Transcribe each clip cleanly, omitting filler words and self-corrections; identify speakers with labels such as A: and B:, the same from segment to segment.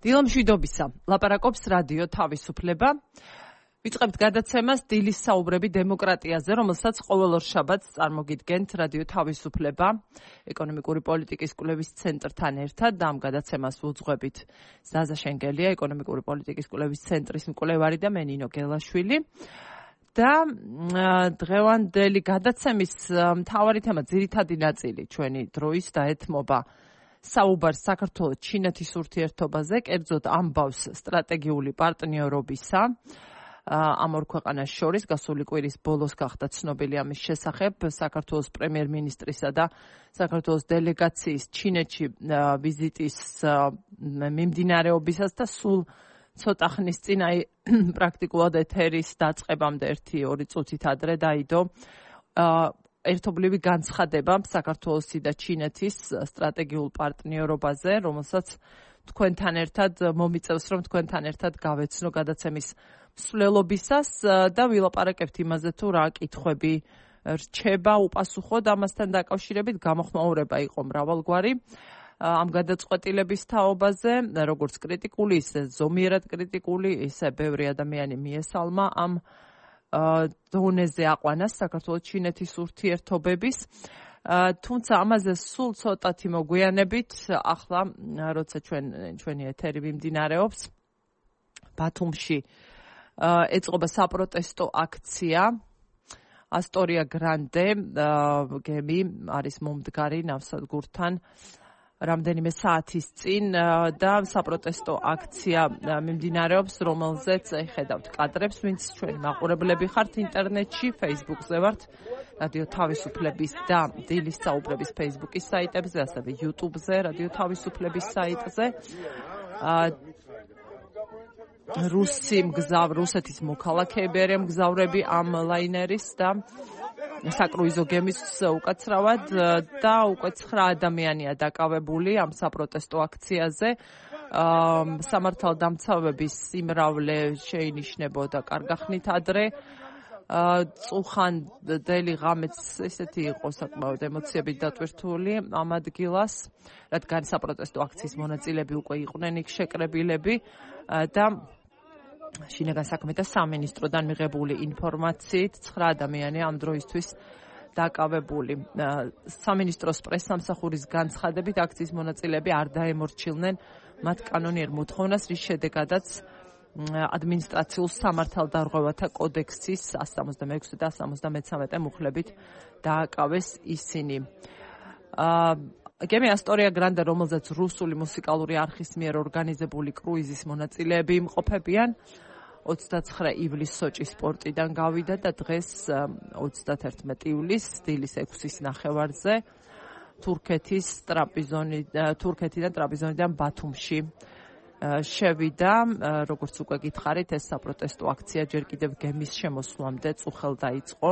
A: დილამშვიდობისა. ლაპარაკობს რადიო თავისუფლება. ვიწყებთ გადაცემას დილის საუბრები დემოკრატიაზე, რომელსაც ყოველ ორ შაბათს წარმოგიდგენთ რადიო თავისუფლება ეკონომიკური პოლიტიკის კვლევის ცენტრთან ერთად და ამ გადაცემას ვუძღვებით ზაზა შენგელია, ეკონომიკური პოლიტიკის კვლევის ცენტრის მკვლევარი და მე ნინო გელაშვილი. და დღევანდელი გადაცემის მთავარი თემა, ძირითადი ნაწილი ჩვენი დროის დაეთმობა საუბარს საქართველოს ჩინეთის ურთიერთობაზე, კერძოდ ამბავს სტრატეგიული პარტნიორობისა ამ ორ ქვეყანას შორის. გასული კვირის ბოლოს გახდა ცნობილი ამის შესახებ საქართველოს პრემიერ-მინისტრისა და საქართველოს დელეგაციის ჩინეთში ვიზიტის მიმდინარეობისას და სულ ცოტა ხნის წინ პრაქტიკულად ეთერის დაწყებამდე 1-2 წუთით ადრე დაიდო ერთობლივი განცხადება საქართველოსი და ჩინეთის სტრატეგიულ პარტნიორობაზე, რომელსაც თქვენთან ერთად მომიწევს, რომ თქვენთან ერთად გავეცნო გადაცემის მსვლელობისას და ვილაპარაკებთ იმაზე, თუ რა კითხვები რჩება უპასუხოდ ამასთან დაკავშირებით. გამოხმაურება იყო მრავალგვარი ამ გადაწყვეტილების თაობაზე, როგორც კრიტიკული, ისე ზომიერად კრიტიკული, ისე ბევრი ადამიანი მიესალმა ამ დონეზე აყვანას საქართველოს ჩინეთის ურთიერთობების. თუმცა ამაზე სულ ცოტათი მოგვიანებით, ახლა როცა ჩვენი ეთერი მიმდინარეობს, ბათუმში ეწყობა საპროტესტო აქცია. ასტორია გრანდე გემი არის მომდგარი ნავსადგურთან რამდენიმე საათის წინ და საპროტესტო აქცია მიმდინარეობს, რომელზეც ხედავთ კადრებს, ვინც ჩვენი მაყურებლები ხართ ინტერნეტში, Facebook-ზე ვართ, რადიო თავისუფლების და დილის საუბრების Facebook-ის საიტებზე, ასევე YouTube-ზე, რადიო თავისუფლების საიტზე. რუსეთის მოქალაქეები არიან მგზავრები ამ ლაინერის და საკრუიზო გემის უკაცრავად და უკვე 9 ადამიანია დაკავებული ამ საპროტესტო აქციაზე. სამართალდამცავების სიმრავლე შეინიშნებოდა კარგახნით ადრე. წუხანდელი ღამეც ესეთი იყო საკმაოდ ემოციებით დატვირთული ამ ადგილას, რადგან საპროტესტო აქციის მონაწილეები უკვე იყვნენ იქ შეკრებილები და შინაგან საქმეთა სამინისტროდან მიღებული ინფორმაციით 9 ადამიანი ამ დროისთვის დაკავებული. სამინისტროს პრესსამსახურის განცხადებით აქციის მონაწილეები არ დაემორჩილნენ მათ კანონიერ მოთხოვნას, რის შედეგადაც ადმინისტრაციულ სამართალდარღვევათა კოდექსის 166 და 173 მუხლებით დააკავეს ისინი. გემი ასტორია გრანდე, რომელზეც რუსული მუსიკალური არხის მიერ ორგანიზებული კრუიზის მონაწილეები იმყოფებიან, 29 ივლისს სოჭის პორტიდან გავიდა და დღეს 31 ივლისს დილის 6-ის ნახევარზე თურქეთიდან ტრაპიზონიდან ბათუმში შევიდა. როგორც უკვე გითხარით, ეს საპროტესტო აქცია ჯერ კიდევ გემის შემოსვლამდე წუხელ დაიწყო.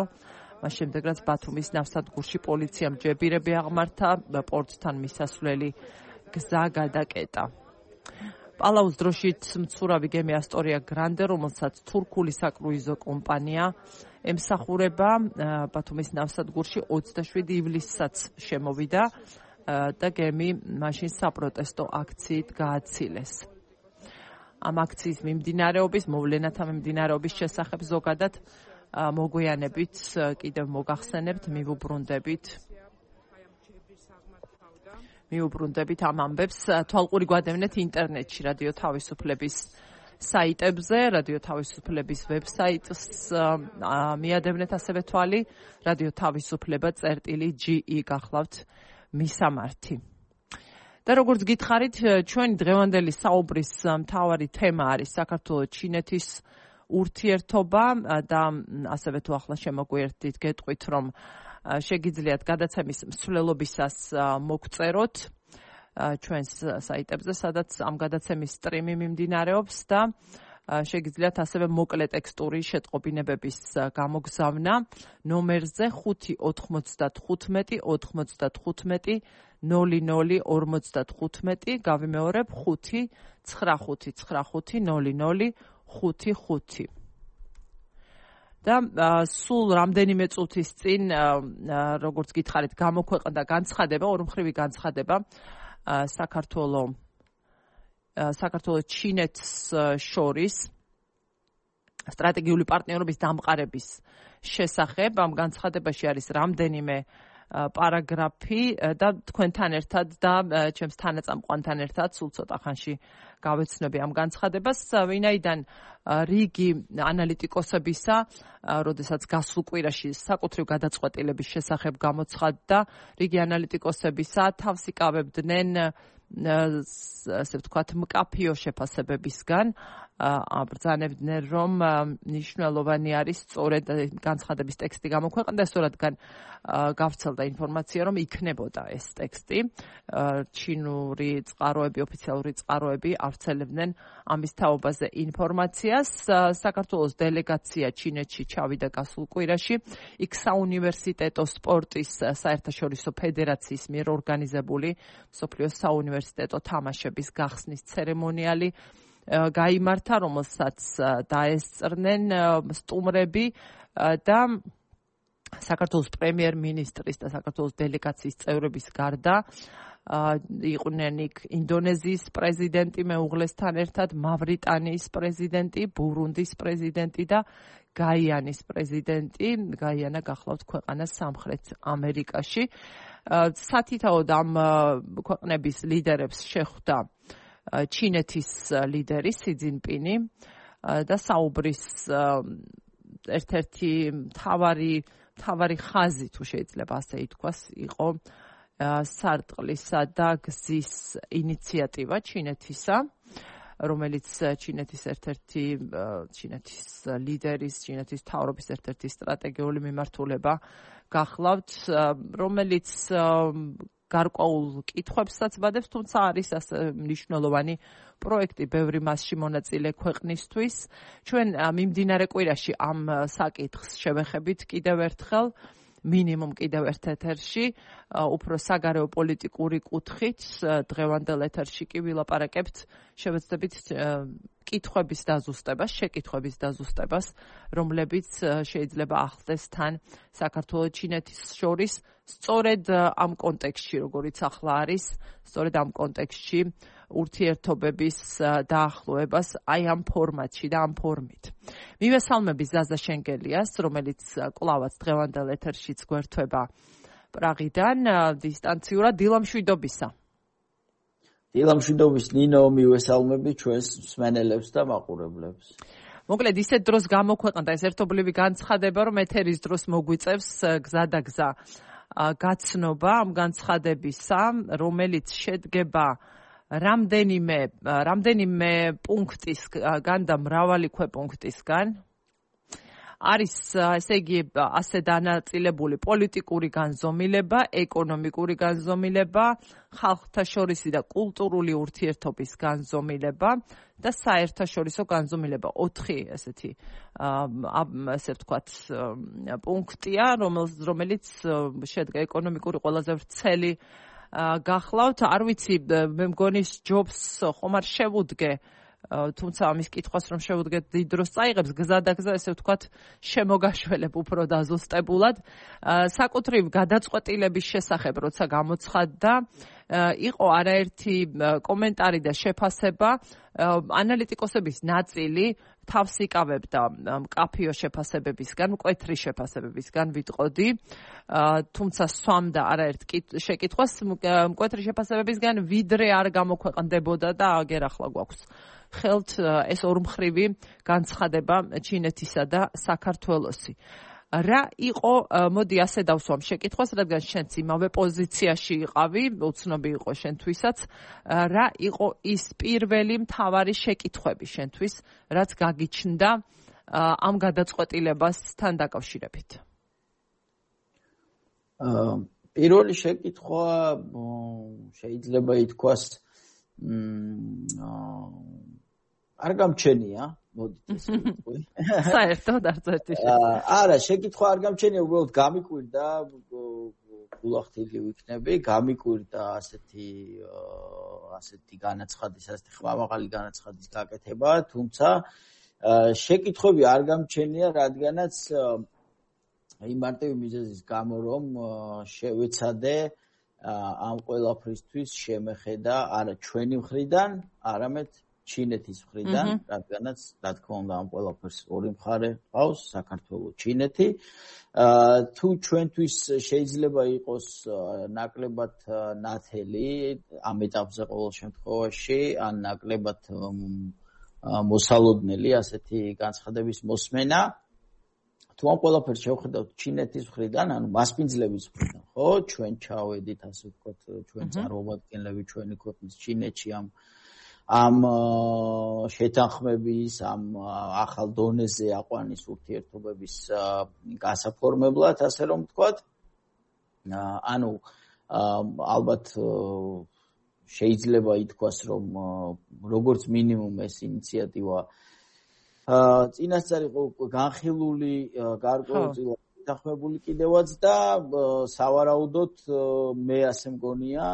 A: მას შემდეგ, რაც ბათუმის ნავსადგურში პოლიციამ ჯებირები აღმართა, პორტთან მისასვლელი გზა გადაკეტა. პალაუს დროშით მცურავი გემი ასტორია გრანდე, რომელსაც თურქული საკრუიზო კომპანია ემსახურება, ბათუმის ნავსადგურში 27 ივლისსაც შემოვიდა და გემი მაშინ საპროტესტო აქციით გააცილეს. ამ აქციის მიმდინარეობის, მოვლენათა მიმდინარეობის შესახებ ზოგადად მოგვიანებით კიდევ მოგახსენებთ, მიუბრუნდებით ამ ამბებს. თვალყური გვადევნეთ ინტერნეტში, რადიო თავისუფლების საიტებზე, რადიო თავისუფლების ვებსაიტს მიადევნეთ ასევე თვალი, რადიო თავისუფლება.ge გახლავთ მისამართი. და როგორც გითხარით, ჩვენი დღევანდელი საუბრის მთავარი თემა არის საქართველოს ჩინეთის ურთიერთობა და ასევე თუ ახლა შემოგვიერთდით, გეტყვით, რომ შეგიძლიათ გადაცემის მსვლელობისას მოგწეროთ ჩვენს საიტებზე, სადაც ამ გადაცემის სტრიმი მიმდინარეობს და შეგიძლიათ ასევე მოკლე ტექსტური შეტყობინებების გამოგზავნა ნომერზე 595 95 0055. გავიმეორებ 595900555. და სულ რამდენიმე წუთის წინ, როგორც გითხარით, გამოქვეყნდა განცხადება, ორმხრივი განცხადება საქართველოს საქართველოს ჩინეთს შორის სტრატეგიული პარტნიორობის დამყარების შესახებ. ამ განცხადებაში არის რამდენიმე პარაგრაფი და თქვენთან ერთად და ჩემს თანაწამყვანთან ერთად სულ ცოტა ხანში გავეცნობი ამ განცხადებას, ვინაიდან რიგი ანალიტიკოსებისა, როდესაც გასულ კვირაში საკუთრივ გადაწყვეტილების შესახებ გამოცხადდა, რიგი ანალიტიკოსებისა თავს იკავებდნენ ასე ვთქვათ, მკაფიო შეფასებებისგან, აბრძანებდნენ, რომ მნიშვნელოვანი არის სწორედ განცხადების ტექსტი გამოქვეყნდეს, რადგან გავრცელდა ინფორმაცია, რომ იქნებოდა ეს ტექსტი. ჩინური წყაროები, ოფიციალური წყაროები ავრცელებდნენ ამის თაობაზე ინფორმაციას. საქართველოს დელეგაცია ჩინეთში ჩავიდა გასულ კვირაში. იქ საუნივერსიტეტო სპორტის საერთაშორისო ფედერაციის მიერ ორგანიზებული მსოფლიოს საუნივერსიტეტო თამაშების გახსნის ცერემონიალი გაიმართა, რომელსაც დაესწრნენ სტუმრები და საქართველოს პრემიერ-მინისტრის და საქართველოს დელეგაციის წევრების გარდა იყვნენ იქ ინდონეზიის პრეზიდენტი მეუღლესთან ერთად, მავრიტანიის პრეზიდენტი, ბურუნდის პრეზიდენტი და გაიანის პრეზიდენტი. გაიანა გახლავთ ქვეყანა სამხრეთ ამერიკაში. სათითაოდ ამ ქვეყნების ლიდერებს შეხვდა ჩინეთის ლიდერი სი ძინპინი და საუბრის ერთ-ერთი მთავარი ხაზი, თუ შეიძლება ასე ითქვას, იყო სარტყლისა და გზის ინიციატივა ჩინეთისა, რომელიც ჩინეთის ერთ-ერთი ჩინეთის ლიდერის, ჩინეთის მთავრობის ერთ-ერთი სტრატეგიული მიმართულება გახლავთ, რომელიც გარკვეულ კითხვებსაც ბადებს, თუმცა არის ასე მნიშვნელოვანი პროექტი ბევრი მასში მონაწილე ქვეყნისთვის. ჩვენ მიმდინარე კვირაში ამ საკითხს შევეხებით კიდევ ერთხელ, მინიმუმ კიდევ ერთ ეთერში, უფრო საგარეო პოლიტიკური კუთხით, დღევანდელ ეთერში კი ვილაპარაკებთ, შევეცდებით კითხვების დაზუსტებას, შეკითხვების დაზუსტებას, რომლებიც შეიძლება ახლდეს თან საქართველოს ჩინეთის შორის, სწორედ ამ კონტექსტში, როგორიც ახლა არის, სწორედ ამ კონტექსტში ურთიერთობების დაახლოებას აი ამ ფორმატში და ამ ფორმით. მივესალმები ზაზა შენგელიას, რომელიც კვლავაც დღევანდელ ეთერშიც გვერდება პრაღიდან დისტანციურად. დილამშვიდობისა.
B: დილამშვიდობის ნინო, მივესალმები ჩვენს მსმენელებს და მაყურებლებს.
A: მოკლედ ისეთ დროს გამოქვეყნდა ეს ერთობლივი განცხადება, რომ ეთერის დროს მოგვიწევს გზადაგზა გაცნობა ამ განცხადებისა, რომელიც შედგება რამდენიმე პუნქტისგან და მრავალი ქვეპუნქტისგან. არის, ესე იგი, ასე დანაწილებული პოლიტიკური განზომილება, ეკონომიკური განზომილება, ხალხთა შორისი და კულტურული ურთიერთობის განზომილება და საერთაშორისო განზომილება. 4 ესეთი ასე ვთქვათ პუნქტია, რომელიც შედგა ეკონომიკური ყველაზე ვრცელი გახლავთ. არ ვიცი, მე მგონი ჯობს ხომ არ შევუდგე, თუმცა ამის კითხვას რომ შევუდგეთ დიდ დროს წაიღებს, გზადაგზა ესე ვთქვათ შემოგაშველებ უფრო დაზუსტებულად. საკუთრივ გადაწყვეტილების შესახებ როცა გამოცხადდა, იყო არაერთი კომენტარი და შეფასება. ანალიტიკოსების ნაწილი თავს იკავებდა მკაფიო შეფასებებისგან, მკვეთრი შეფასებებისგან ვიტყოდი, თუმცა სვამდა არაერთ შეკითხვას მკვეთრი შეფასებებისგან, ვიდრე არ გამოქვეყნდებოდა და აგერ ახლა გვაქვს ხელთ ეს ორმხრივი განცხადება ჩინეთისა და საქართველოსი. რა იყო, მოდი ასე დავსვამ შეკითხვას, რადგან შენც იმავე პოზიციაში იყავი, უცნობი იყო შენთვისაც, რა იყო ის პირველი მთავარი შეკითხვები შენთვის, რაც გაგიჩნდა ამ გადაწყვეტილებასთან დაკავშირებით?
B: პირველი შეკითხვა შეიძლება ითქვას არ გამჩენია, მოდით ესე ვიტყვი.
A: საერთოდ არც ერთი
B: არა, შეკითხვა არ გამჩენია, უბრალოდ გამიკვირდა, გულახდილი ვიქნები, გამიკვირდა ასეთი განაცხადის, ასეთი ხმამაღალი განაცხადის გაკეთება, თუმცა შეკითხვები არ გამჩენია, რადგანაც იმ მარტივი მიზეზის გამო, რომ შევეცადე ამ ყველაფრისთვის შემეხედა არა ჩვენი მხრიდან, არამედ ჩინეთის მხრიდან, რადგანაც რა თქმა უნდა ამ ყველაფერს ორი მხარე ყავს, საქართველო, ჩინეთი. თუ ჩვენთვის შეიძლება იყოს ნაკლებად ნათელი ამ ეტაპზე ყოველ შემთხვევაში, ან ნაკლებად მოსალოდნელი ასეთი განცხადების მოსმენა, თუ ამ ყველაფერს შევხედავთ ჩინეთის მხრიდან, ანუ მასპინძლების მხრიდან, ხო, ჩვენ ჩავედით, ასე ვთქვათ, ჩვენ წარმომადგენლები ჩვენი ქვეყნის ჩინეთში ამ შეთანხმების, ამ ახალ დონეზე აყვანის ურთიერთობების გასაფორმებლად, ასე რომ ვთქვათ. ანუ ალბათ შეიძლება ითქვას, რომ როგორც მინიმუმ ეს ინიციატივა წინასწარ იყო განხილული, გარკვეულწილად შეთანხმებული კიდევაც და სავარაუდოდ მე ასე მგონია,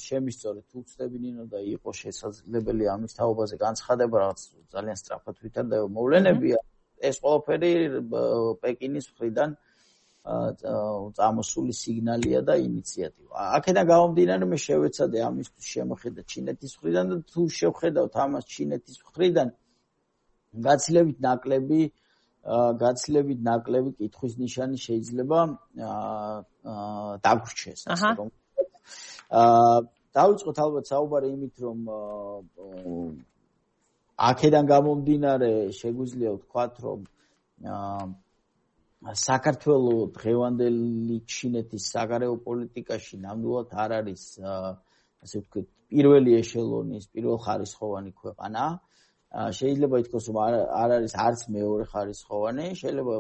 B: შემისწორეთ თუ ვწდები ნინო და იყო შესაძლებელი ამის თაობაზე განცხადება, რაღაც ძალიან სწრაფად ვითარდება მოვლენებია, ეს ყველაფერი პეკინის მხრიდან წამოსული სიგნალია და ინიციატივა. აქედან გამომდინარე მე შევეცადე ამისთვის შემოხედა ჩინეთის მხრიდან და თუ შევხედავთ ამას ჩინეთის მხრიდან გაცილებით ნაკლები კითხვის ნიშანი შეიძლება დაგვრჩეს, ასე რომ. დავიწყოთ ალბათ საუბარი იმით, რომ აქედან გამომდინარე შეგვიძლია ვთქვათ, რომ საქართველოს დღევანდელი ჩინეთის საგარეო პოლიტიკაში ნამდვილად არ არის, ასე ვთქვათ, პირველი ეშელონის, პირველხარისხოვანი ქვეყანა. შეიძლება ითქვას, რომ არ არის არც მეორე ხარისხოვანი, შეიძლება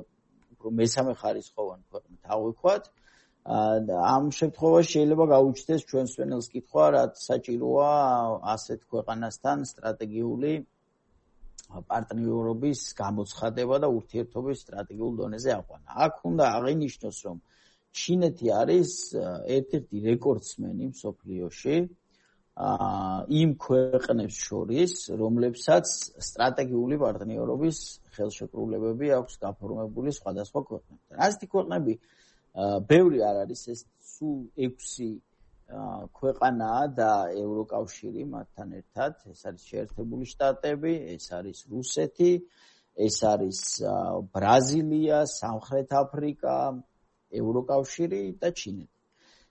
B: უფრო მესამე ხარისხოვანი ქვეყნა თავი-ქვათ. ამ შემთხვევაში შეიძლება გაუჩნდეს ჩვენს ვენელს კითხვა, რაც საჭიროა ასეთ ქვეყანასთან სტრატეგიული პარტნიორობის გამოცხადება და ურთიერთობის სტრატეგიულ დონეზე აყვანა. აქ უნდა აღინიშნოს, რომ ჩინეთი არის ერთ-ერთი რეკორდსმენი მსოფლიოში იმ ქვეყნებს შორის, რომლებსაც სტრატეგიული პარტნიორობის ხელშეკრულებები აქვს გაფორმებული სხვადასხვა ქვეყნებთან. ასეთი ქვეყნები ბევრი არ არის, ეს სულ 6 ქვეყანაა და ევროკავშირი მათთან ერთად, ეს არის შეერთებული შტატები, ეს არის რუსეთი, ეს არის ბრაზილია, სამხრეთ აფრიკა, ევროკავშირი და ჩინეთი.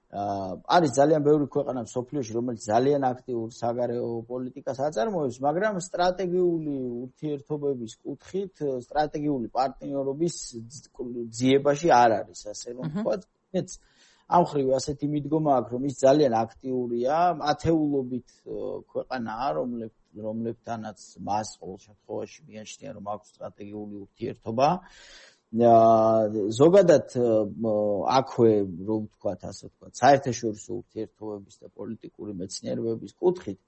B: არის ძალიან ბევრი ქვეყანა მსოფლიოში, რომელიც ძალიან აქტიურ საგარეო პოლიტიკას აწარმოებს, მაგრამ სტრატეგიული ურთიერთობების კუთხით, სტრატეგიული პარტნიორობის ძიებაში არ არის, ასე რომ ვთქვათ. ამ ხრივ ასეთი მიდგომა აქვს, რომ ის ძალიან აქტიურია, ათეულობით ქვეყანაა, რომლებთანაც მას ყოველ შემთხვევაში მიანიშნია, რომ აქვს სტრატეგიული ურთიერთობა. ზოგადად აქვე, რომ ვთქვათ, ასე ვთქვათ, საერთაშორისო ურთიერთობების და პოლიტიკური მეცნიერებების კუთხით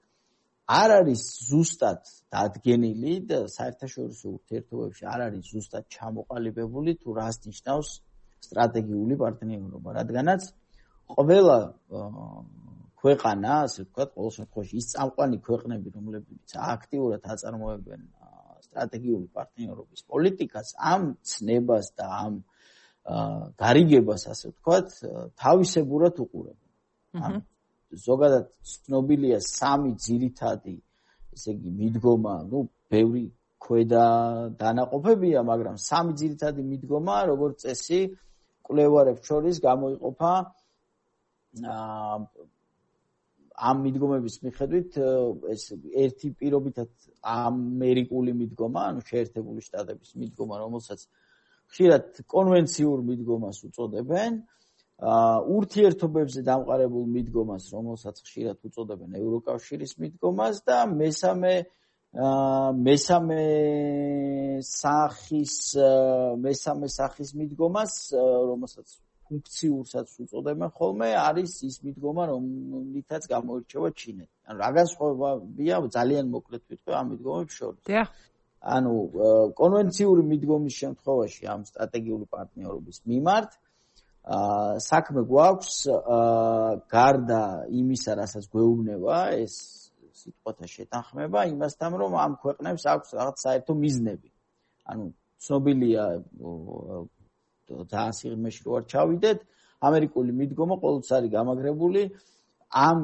B: არ არის ზუსტად დადგენილი და საერთაშორისო ურთიერთობებში არ არის ზუსტად ჩამოყალიბებული თუ რას ნიშნავს სტრატეგიული პარტნიორობა, რადგანაც ყველა ქვეყანა, ასე ვთქვათ, ყოველ შემთხვევაში ის წამყვანი ქვეყნები, რომლებიც აქტიურად აწარმოებენ სტრატეგიული პარტნიორობის პოლიტიკას, ამ ცნებას და ამ გარიგებას, ასე ვთქვათ, თავისებურად უყურებენ. ზოგადად ცნობილია 3 ძირითადი, ესე იგი, მიდგომა, ბევრი ქვედა დანაყოფებია, მაგრამ 3 ძირითადი მიდგომა, როგორც წესი, კვლევარებს შორის გამოიყოფა ამ მიდგომების მიხედვით ეს ერთი პირობითად ამერიკული მიდგომა, ანუ შეერთებული შტატების მიდგომა, რომელსაც ხშირად კონვენციურ მიდგომას უწოდებენ, ურთიერთობებზე დამყარებულ მიდგომას, რომელსაც ხშირად უწოდებენ ევროკავშირის მიდგომას და მესამე სახის მიდგომას, რომელსაც ფუნქციურსაც უწოდებენ ხოლმე, არის ის მიდგომა, რომლითაც გამოირჩევა ჩინეთი. ანუ რა განსხვავებია ძალიან მოკლედ ვიტყვი ამ მიდგომებს შორის. ანუ კონვენციური მიდგომის შემთხვევაში ამ სტრატეგიული პარტნიორობის მიმართ საქმე გვაქვს გარდა იმისა, რასაც გვეუბნება ეს სიტყვათა შეთანხმება, იმასთან, რომ ამ ქვეყნებს აქვს რაღაც საერთო მიზნები. ანუ ცნობილია ძალიან სიღრმეში რო არ ჩავიდეთ, ამერიკული მიდგომა ყოველთვის არის გამაგრებული ამ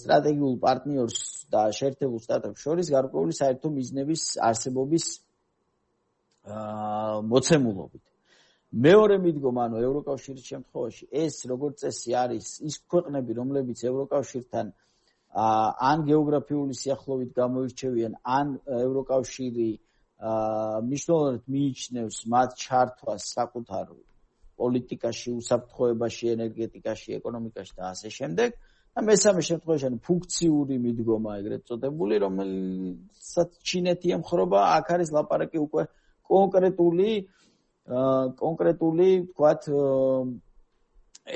B: სტრატეგიულ პარტნიორს და შეერთებულ შტატებს შორის გარკვეული საერთო მიზნების არსებობის მოცემულობით. მეორე მიდგომა, ანუ ევროკავშირის შემთხვევაში, ეს როგორც წესი არის ის ქვეყნები, რომლებიც ევროკავშირთან ან გეოგრაფიული სიახლოვით გამოირჩევიან, ან ევროკავშირი მნიშვნელოვნად მიიჩნევს მათ ჩართვას საკუთარ პოლიტიკაში, უსაფრთხოებაში, ენერგეტიკაში, ეკონომიკაში და ასე შემდეგ. და მესამე შემთხვევაში, ანუ ფუნქციური მიდგომა, ეგრეთ წოდებული, რომელსაც ჩინეთი ემხრობა, აქ არის ლაპარაკი უკვე კონკრეტული, თქვათ,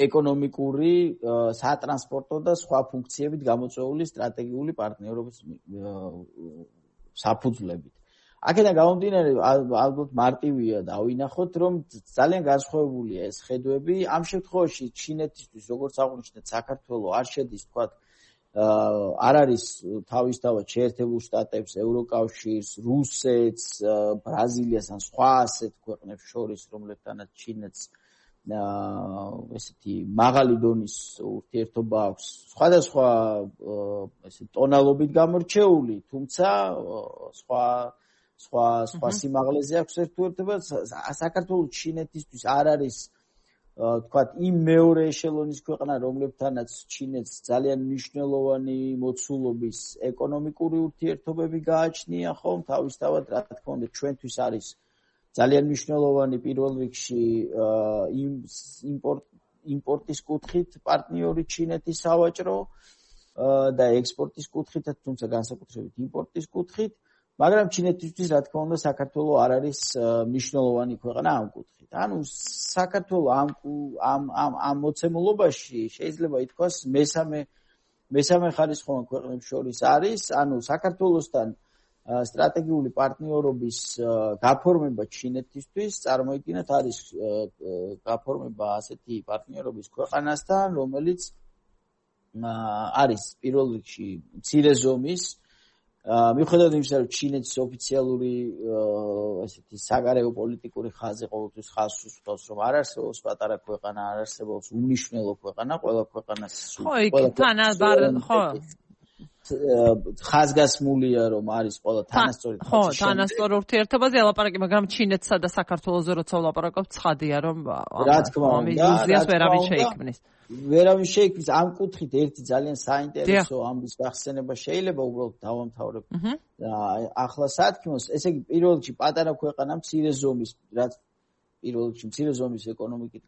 B: ეკონომიკური, სატრანსპორტო და სხვა ფუნქციებით გამოწვეული სტრატეგიული პარტნიორობის საფუძვლებით. აქედან გამომდინარე, ალბათ მარტივია დავინახოთ, რომ ძალიან განსხვავებულია ეს ხედვები. ამ შემთხვევაში ჩინეთისთვის, როგორც აღნიშნეთ, საქართველოს არ შედის, თქვათ, არ არის თავისთავად შეერთებულ შტატებს, ევროკავშირს, რუსეთს, ბრაზილიას ან სხვა ასეთ ქვეყნებს შორის, რომლებთანაც ჩინეთს ესეთი მაღალი დონის ურთიერთობა აქვს, სხვადასხვა ესე ტონალობით გამორჩეული, თუმცა სხვა სიმაღლეზე აქვს ერთუერთობა. საქართველოს ჩინეთისთვის არ არის თქვათ იმ მეორე ეშელონის ქვეყნა, რომლებთანაც ჩინეთს ძალიან მნიშვნელოვანი მოცულობის ეკონომიკური ურთიერთობები გააჩნია, ხომ? თავისთავად, რა თქმა უნდა, ჩვენთვის არის ძალიან მნიშვნელოვანი პირველ რიგში იმპორტის კუთხით პარტნიორი ჩინეთის სავაჭრო და ექსპორტის კუთხითაც, თუმცა განსაკუთრებით იმპორტის კუთხით. მაგრამ ჩინეთისთვის, რა თქმა უნდა, საქართველოს არ არის მნიშვნელოვანი ქვეყნა ამ კუთხით. ანუ საქართველოს ამ მოცემულობაში შეიძლება ითქვას მესამე ხარისხოვან ქვეყნებს შორის არის, ანუ საქართველოსთან სტრატეგიული პარტნიორობის გაფორმება ჩინეთისთვის წარმოიდგინეთ არის გაფორმება ასეთი პარტნიორობის ქვეყანასთან, რომელიც არის პირველ რიგში მცირე ზომის, მიუხედავად იმისა, რომ ჩინეთის ოფიციალური ესეთი საგარეო პოლიტიკური ხაზი ყოველთვის ხაზს უსვამს, რომ არ არსებობს პატარა ქვეყანა, არ არსებობს უმნიშვნელო ქვეყანა, ყველა ქვეყანას ხაზგასმულია, რომ არის ყველა თანასწორი
A: თანასწორი ურთიერთობაზე ელაპარაკი, მაგრამ ჩინეთსა და საქართველოსზე როცა ვლაპარაკობ, ცხადია, რომ
B: რა თქმა უნდა,
A: ილუზიას ვერავინ შეიქმნის.
B: ვერავინ შეიქმნის ამ კუთხით ერთი ძალიან საინტერესო ამბის გახსენება შეიძლება უბრალოდ დავამთავრებ ახლა სათქმოს, ესე იგი პირველ რიგში პატარა ქვეყანა მცირე ზომის, რაც პირველ რიგში მცირე ზომის ეკონომიკით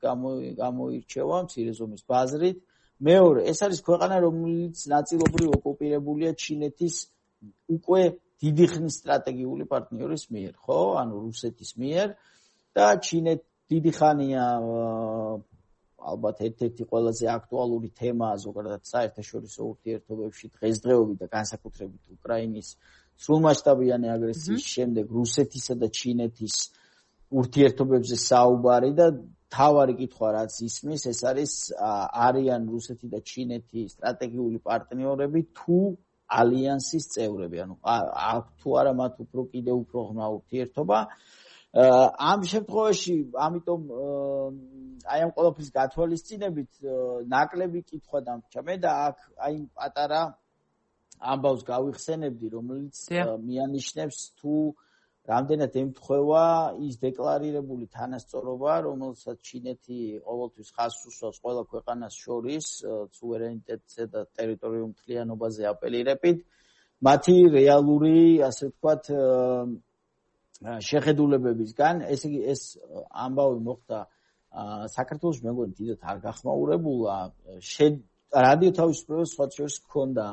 B: გამოირჩევა, მცირე ზომის ბაზრით. მეორე, ეს არის ქვეყანა, რომელიც ნაწილობრივ ოკუპირებულია ჩინეთის უკვე დიდი ხნის სტრატეგიული პარტნიორის მიერ, ხო? ანუ რუსეთის მიერ და ჩინეთი დიდი ხანია ალბათ ერთ-ერთი ყველაზე აქტუალური თემაა ზოგადად საერთაშორისო ურთიერთობებში დღესდღეობით და განსაკუთრებით უკრაინის სრულმასშტაბიანი აგრესიის შემდეგ რუსეთისა და ჩინეთის ურთიერთობებზე საუბარი და თავარი კითხვა რაც ისმის, ეს არის არიან რუსეთი და ჩინეთი სტრატეგიული პარტნიორები თუ ალიანსის წევრები, ანუ თუ არა მათ კიდევ უფრო ღრმა ურთიერთობა. ამ შემთხვევაში, ამიტომ აი ამ ყველაფრის გათვალისწინებით ნაკლები კითხვა დამრჩა მე და აქ აი პატარა ამბავს გავიხსენებდი, რომელიც მიანიშნებს თუ რამდენად ემთხვევა ის დეკლარირებული თანასწორობა, რომელსაც ჩინეთი ყოველთვის ხაზს უსვამს ყველა ქვეყანას შორის სუვერენიტეტზე და ტერიტორიულ მთლიანობაზე აპელირებით, მათი რეალური, ასე ვთქვათ, შეხედულებებისგან. ესე იგი ეს ამბავი მოხდა საქართველოს მეგონი დიდად არ გახმაურებულა. რადიო თავისუფლებას სხვა შორის ჰქონდა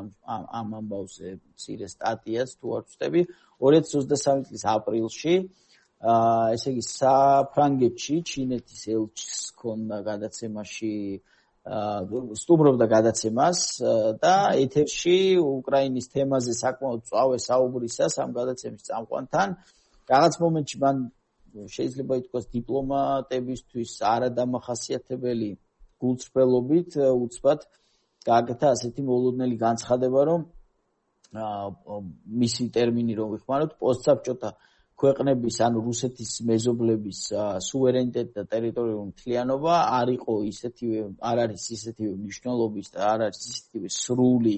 B: ამ ამბავზე მცირე სტატიაც თუ არ ვწდები 2023 წლის აპრილში. ესე იგი საფრანგეთში ჩინეთის ელჩის ჰქონდა გადაცემაში სტუმრობდა გადაცემას და ეთერში უკრაინის თემაზე საკმაოდ წვავე საუბრისას ამ გადაცემის წამყვანთან რაღაც მომენტში მან შეიძლება ითქვას დიპლომატებისთვის არადამახასიათებელი გულწრფელობით უცბად გააკეთა ასეთი მოულოდნელი განცხადება, რომ მისი ტერმინი რომ ვიხმაროთ, პოსტსაბჭოთა ქვეყნების, ანუ რუსეთის მეზობლების სუვერენიტეტი და ტერიტორიული მთლიანობა არ არის ისეთივე მნიშვნელობის და არ არის ისეთივე სრული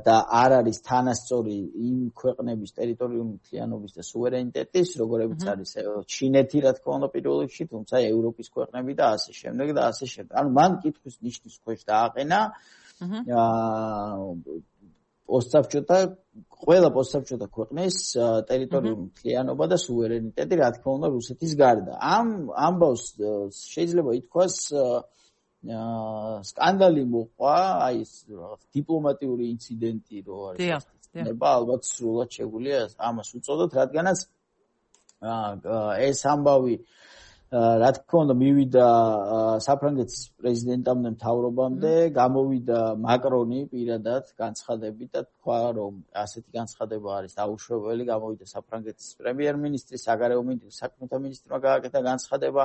B: და არ არის თანასწორი იმ ქვეყნების ტერიტორიული მთლიანობის და სუვერენიტეტის, როგორებიც არის ჩინეთი, რა თქმა უნდა, პირველ რიგში, თუმცა ევროპის ქვეყნები და ასე შემდეგ და ასე შემდეგ. ანუ მან კითხვის ნიშნის ქვეშ დააყენა ყველა პოსტსაბჭოთა ქვეყნის ტერიტორიული მთლიანობა და სუვერენიტეტი, რა თქმა უნდა, რუსეთის გარდა. ამ ამბავს შეიძლება ითქვას სკანდალი მოყვა, აი ეს რაღაც დიპლომატიური ინციდენტი რო არის. ალბათ სრულად შეგვიძლია ამას უწოდოთ, რადგანაც ეს ამბავი რა თქმა უნდა მივიდა საფრანგეთის პრეზიდენტამდე მთავრობამდე, გამოვიდა მაკრონი პირადად განცხადებით და თქვა, რომ ასეთი განცხადება არის დაუშვებელი, გამოვიდა საფრანგეთის პრემიერ-მინისტრი, საგარეო საქმეთა მინისტრმა გააკეთა განცხადება,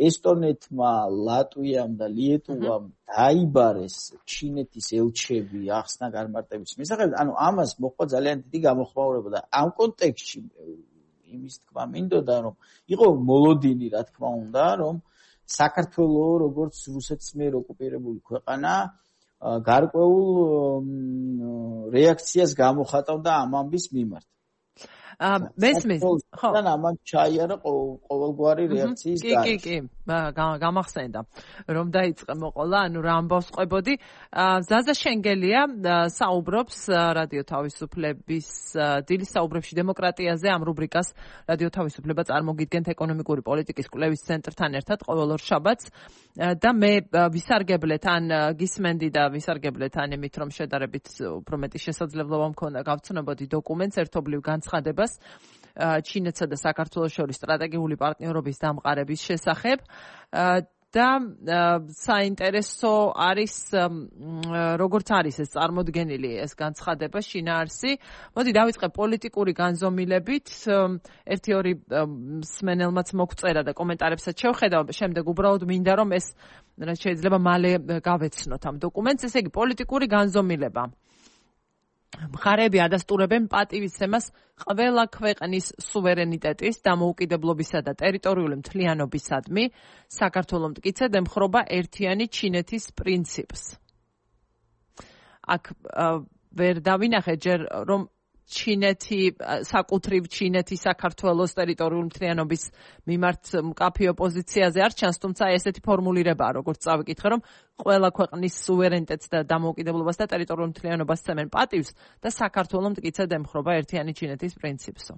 B: ესტონეთმა, ლატვიამ და ლიეტუვამ დაიბარეს ჩინეთის ელჩები ახსნა განმარტების მისაღებად, ანუ ამას მოყვა ძალიან დიდი გამოხმაურება და ამ კონტექსტში იმის თქმა მინდოდა, რომ იყო მოლოდინი, რა თქმა უნდა, რომ საქართველოს როგორც რუსეთის მიერ ოკუპირებული ქვეყანა გარკვეულ რეაქციას გამოხატავდა ამ ამბის მიმართ.
A: მესმის, ხო.
B: და ამან ჩაიარა ყოველგვარი რეაქციის
A: გარეშე. კი, გამახსენდა, რომ დაიწყე მოყოლა, ანუ რა ამბავს ყვებოდი. ზაზა შენგელია საუბრობს რადიო თავისუფლების დილის საუბრებში დემოკრატიაზე, ამ რუბრიკას რადიო თავისუფლება წარმოგიდგენთ ეკონომიკური პოლიტიკის კვლევის ცენტრთან ერთად ყოველ ორ შაბათს და მე ვისარგებლეთ ან გისმენდი და ვისარგებლეთ ან იმით, რომ შედარებით უფრო მეტი შესაძლებლობა მქონდა გავცნობოდი დოკუმენტს ერთობლივ განცხადებას ჩინეთსა და საქართველოს შორის სტრატეგიული პარტნიორობის დამყარების შესახებ და საინტერესო არის როგორც არის ეს წარმოდგენილი ეს განცხადება შინაარსი. მოდი დავიწყე პოლიტიკური განზომილებით. ერთი-ორი მსმენელმაც მოგწერა და კომენტარებსაც შევხედავ, შემდეგ უბრალოდ მინდა რომ ეს შეიძლება მალე გავეცნოთ ამ დოკუმენტს. ესე იგი პოლიტიკური განზომილება. მხარეები ადასტურებენ პატივისცემას ყველა ქვეყნის სუვერენიტეტის, დამოუკიდებლობისა და ტერიტორიული მთლიანობისადმი, საქართველოს მტკიცედ ემხრობა ერთიანი ჩინეთის პრინციპს. აქ ვერ დავინახე ჯერ რომ ჩინეთი, საკუთრივ ჩინეთი საქართველოს ტერიტორიული მთლიანობის მიმართ მკაფიო პოზიციაზე არ ჩანს, თუმცა ესეთი ფორმულირებაა, როგორც წავიკითხე, რომ ყველა ქვეყნის სუვერენიტეტს და დამოუკიდებლობას და ტერიტორიულ მთლიანობას სცემენ პატივს და საქართველოს მტკიცედ ემხრობა ერთიანი ჩინეთის პრინციპსო.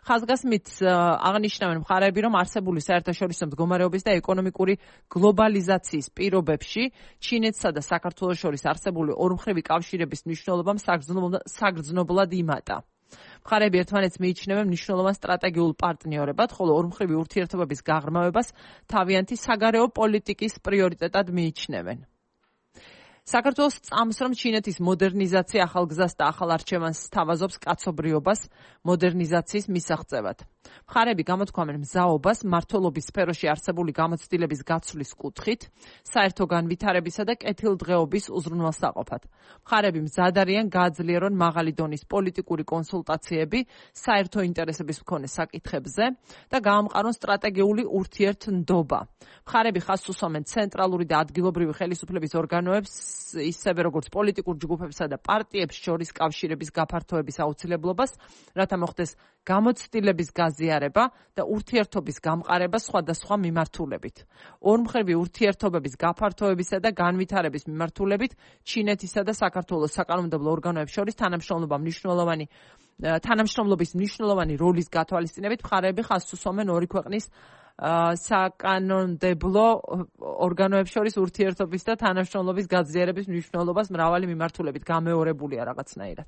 A: ხაზგასმით აღნიშნავენ მხარეები, რომ არსებული საერთაშორისო მდგომარეობის და ეკონომიკური გლობალიზაციის პირობებში ჩინეთსა და საქართველოს შორის არსებული ორმხრივი კავშირების მნიშვნელობამ საგრძნობლად იმატა. მხარეები ერთმანეთს მიიჩნევენ მნიშვნელოვან სტრატეგიულ პარტნიორებად, ხოლო ორმხრივი ურთიერთობების გაღრმავებას თავიანთი საგარეო პოლიტიკის პრიორიტეტად მიიჩნევენ. საქართველოს წამს, რომ ჩინეთის მოდერნიზაცია ახალ გზას და ახალ არჩევანს სთავაზობს კაცობრიობას მოდერნიზაციის მისაღწევად. მხარეები გამოთქვამენ მზაობას მმართველობის სფეროში არსებული გამოცდილების გაცვლის კუთხით, საერთო განვითარებისა და კეთილდღეობის უზრუნველსაყოფად. მხარეები მზად არიან გააძლიერონ მაღალი დონის პოლიტიკური კონსულტაციები საერთო ინტერესების მქონე საკითხებზე და გაამყარონ სტრატეგიული ურთიერთნდობა. მხარეები ხაზს უსვამენ ცენტრალური და ადგილობრივი ხელისუფლების ორგანოებს, ისევე როგორც პოლიტიკურ ჯგუფებსა და პარტიებს შორის კავშირების გაფართოების აუცილებლობას, რათა მოხდეს გამოცდილების გაზიარება და ურთიერთობის გამყარება სხვადასხვა მიმართულებით. ორმხრივი ურთიერთობების გაფართოებისა და განვითარების მიმართულებით ჩინეთისა და საქართველოს საკანონმდებლო ორგანოებს შორის თანამშრომლობის მნიშვნელოვანი როლის გათვალისწინებით მხარეები ხაზს უსვამენ ორი ქვეყნის საკანონმდებლო ორგანოებს შორის ურთიერთობის და თანამშრომლობის გაზიარების მნიშვნელობას მრავალი მიმართულებით გამეორებულია რაღაცნაირად.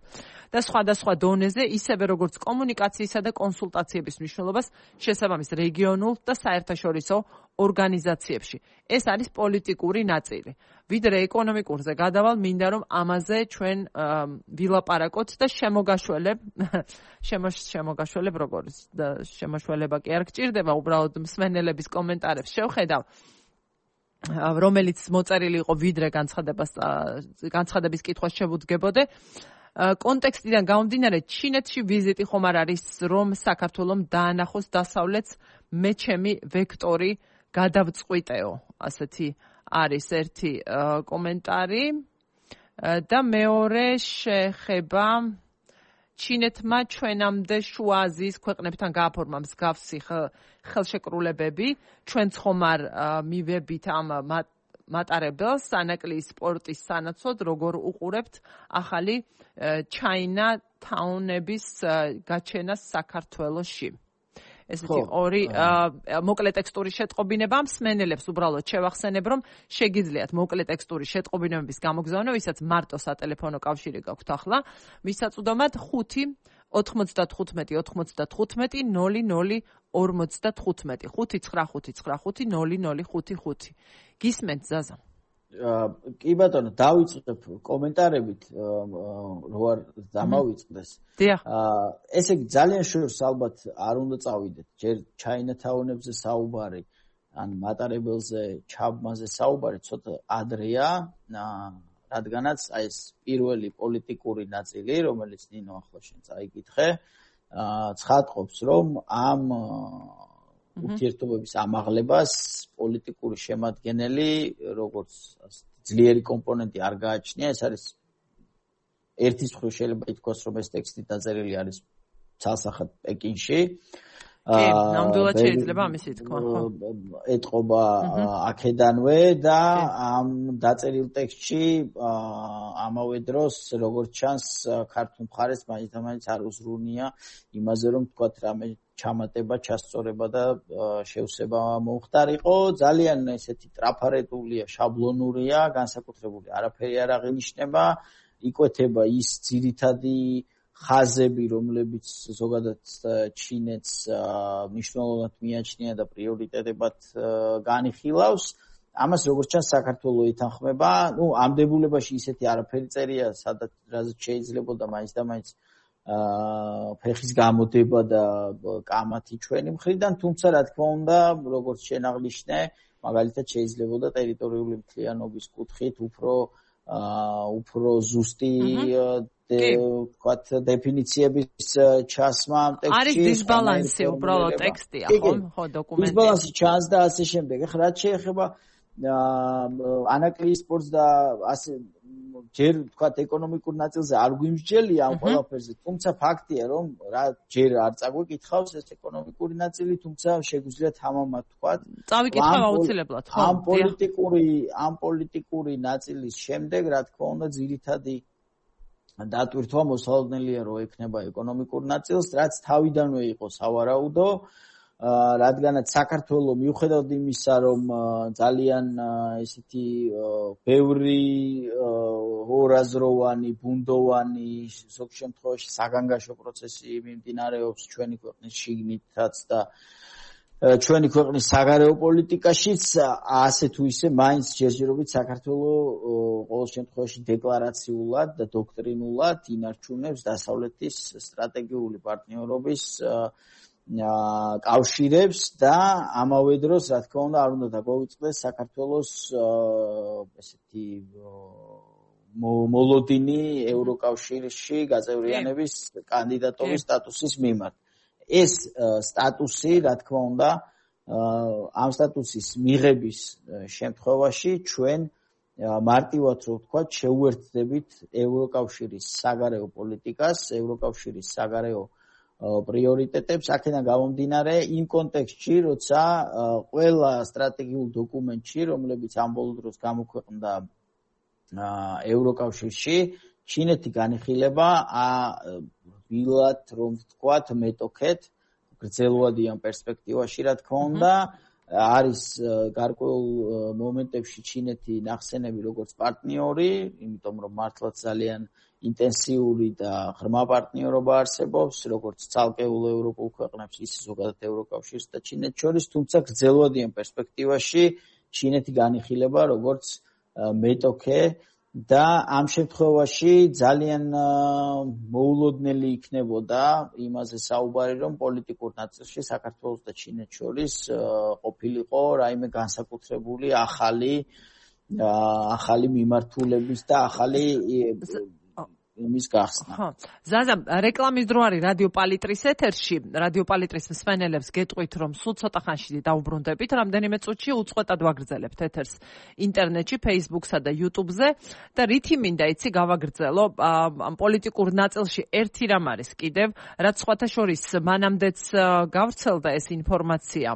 A: და სხვადასხვა დონეზე, ისევე როგორც კომუნიკაციისა და კონსულტაციების მნიშვნელობას შესაბამის რეგიონულ და საერთაშორისო ორგანიზაციებში. ეს არის პოლიტიკური ნაწილი. ვიდრე ეკონომიკურზე გადავალ, მინდა რომ ამაზე ჩვენ ვილაპარაკოთ და შემოგაშველებ როგორც და შემოშველება კი არ გჭირდება, უბრალოდ მსმენელების კომენტარებს შევხედავ, რომელიც მოწერილი იყო ვიდრე განცხადების კითხვას შევუდგებოდე. კონტექსტიდან გამომდინარე, ჩინეთში ვიზიტი ხომ არ არის, რომ საქართველოს დაანახოს დასავლეთს მე ჩემი ვექტორი გადავწყვიტეო. ასეთი არის ერთი კომენტარი და მეორე შეხება ჩინეთმა ჩვენამდე შუა აზიის ქვეყნებთან გააფორმა მსგავსი ხელშეკრულებები. ჩვენც ხომ არ მივებით ამ მატარებელს სანაკლიის სპორტის სანაცვლოდ, როგორ უყურებთ ახალი ჩაინა თაუნების გაჩენას საქართველოში. ესეთი ორი მოკლე ტექსტური შეტყობინება მსმენელებს უბრალოდ შევახსენებ, რომ შეგიძლიათ მოკლე ტექსტური შეტყობინებების გამოგზავნა, ვისაც მარტო სატელეფონო კავშირი გაქვთ ახლა, მისაწვდომად 5 95 95 00 55 59555 გისმენთ ზაზა?
B: კი ბატონო, დავიწყებ კომენტარებით, რო არ დამავიწყდეს. ესე იგი ძალიან შორს ალბათ არ უნდა წავიდეთ. ჯერ ჩაინათაუნებზე საუბარი, ან მატარებელზე, ჩაბმაზე საუბარი ცოტა ადრეა, რადგანაც აი ეს პირველი პოლიტიკური ნაწილი, რომელიც ნინო ახლა შენ წაიკითხე, ცხადყოფს, რომ ამ ურთიერთობების ამაღლებას პოლიტიკური შემადგენელი, როგორც ძლიერი კომპონენტი არ გააჩნია, ეს არის ერთის მხრივ შეიძლება ითქვას, რომ ეს ტექსტი დაწერილი არის ცალსახად პეკინში.
A: კი, ნამდვილად შეიძლება ამისი თქვა.
B: ეტყობა აქედანვე და ამ დაწერილ ტექსტში ამავე დროს, როგორც ჩანს, ქართულ მხარეს მაინც არ უზრუნია იმაზე, რომ თქვათ რამე ჩამატება, ჩასწორება და შევსება მოხდარიყო. ძალიან ესეთი ტრაფარეტულია, შაბლონურია, განსაკუთრებული არაფერი არ აღინიშნება. იკვეთება ის ძირითადი ხაზები, რომლებიც ზოგადად ჩინეთს მნიშვნელოვნად მიაჩნია და პრიორიტეტებად განიხილავს. ამას როგორც ჩანს საქართველოს ეთანხმება. ამ დებულებაში ისეთი არაფერი წერია, სადაც რაზეც შეიძლებოდა მაინც და მაინც ფეხის გამოდება და კამათი ჩვენი მხრიდან, თუმცა რა თქმა უნდა, როგორც შენ აღნიშნე, მაგალითად შეიძლებოდა ტერიტორიული მთლიანობის კუთხით უფრო ზუსტი ვთქვათ დეფინიციების ჩასმა ამ ტექსტში.
A: არის დისბალანსი უბრალოდ ტექსტია, ხო, დოკუმენტი.
B: დისბალანსი ჩანს და ასე შემდეგ. ეხლა რაც შეეხება ანაკლიის სპორტს და ასე ჯერ ვთქვათ ეკონომიკურ ნაწილზე არ გვიმსჯელია ამ ყველაფერზე, თუმცა ფაქტია, რომ ჯერ არ წაგვიკითხავს ეს ეკონომიკური ნაწილი, თუმცა შეგვიძლია თამამად ვთქვათ.
A: წავიკითხავ აუცილებლად, ხო.
B: ამ პოლიტიკური ნაწილის შემდეგ, რა თქმა უნდა, ძირითადი დატვირთვა მოსალოდნელია, რომ ექნება ეკონომიკურ ნაწილს, რაც თავიდანვე იყო სავარაუდო. რადგანაც საქართველოს მიუხედავად იმისა, რომ ძალიან ესეთი ბევრი ორაზროვანი, ბუნდოვანი, ზოგ შემთხვევაში საგანგაშო პროცესი მიმდინარეობს ჩვენი ქვეყნის შიგნითაც და ჩვენი ქვეყნის საგარეო პოლიტიკაშიც, ასე თუ ისე მაინც ჯერჯერობით საქართველოს ყოველ შემთხვევაში დეკლარაციულად და დოქტრინულად ინარჩუნებს დასავლეთის სტრატეგიული პარტნიორობის კავშირებს და ამავე დროს, რა თქმა უნდა, არ უნდა დაგვავიწყდეს საქართველოს ესეთი მოლოდინი ევროკავშირში გაწევრიანების კანდიდატობის სტატუსის მიმართ. ეს სტატუსი, რა თქმა უნდა, ამ სტატუსის მიღების შემთხვევაში ჩვენ მარტივად რო ვთქვათ, შევუერთდებით ევროკავშირის საგარეო პოლიტიკას, ევროკავშირის საგარეო პრიორიტეტებს, აქედან გამომდინარე იმ კონტექსტში, როცა ყველა სტრატეგიულ დოკუმენტში, რომლებიც ამ ბოლო დროს გამოქვეყნდა ევროკავშირში, ჩინეთი განიხილება ვილად რომ ვთქვათ მეტოქეთ, გრძელვადიან პერსპექტივაში, რა თქმა უნდა, არის გარკვეულ მომენტებში ჩინეთი ნახსენები როგორც პარტნიორი, იმიტომ რომ მართლაც ძალიან ინტენსიური და ღრმა პარტნიორობა არსებობს, როგორც ცალკეულ ევროპულ ქვეყნებს, ისე ზოგადად ევროკავშირს და ჩინეთს შორის, თუმცა გრძელვადიან პერსპექტივაში ჩინეთი განიხილება როგორც მეტოქე და ამ შემთხვევაში ძალიან მოულოდნელი იქნებოდა იმაზე საუბარი, რომ პოლიტიკურ ნაწილში საქართველოს და ჩინეთს შორის ყოფილიყო რაიმე განსაკუთრებული ახალი მიმართულების და ახალი იმის გახსნა.
A: ხო. ზაზა, რეკლამის დრო არის რადიო პალიტრის ეთერში. რადიო პალიტრის მსმენელებს გეტყვით, რომ სულ ცოტა ხანში დაუბრუნდებით, რამდენიმე წუთში უწყვეტად ვაგრძელებთ ეთერს ინტერნეტში, Facebook-სა და YouTube-ზე და რითი მინდა იცი გავაგრძელო ამ პოლიტიკურ ნაწილში ერთი რამ არის კიდევ, რაც სხვათა შორის მანამდეც გავრცელდა ეს ინფორმაცია.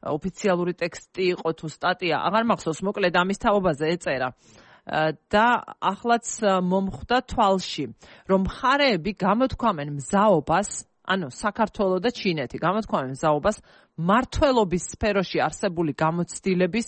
A: ოფიციალური ტექსტი იყო თუ სტატია, აღარ მახსოვს, მოკლედ ამის თაობაზე ეწერა. და ახლაც მომხვდა თვალში, რომ მხარეები გამოთქვამენ მზაობას, ანუ საქართველო და ჩინეთი გამოთქვამენ მზაობას მმართველობის სფეროში არსებული გამოცდილების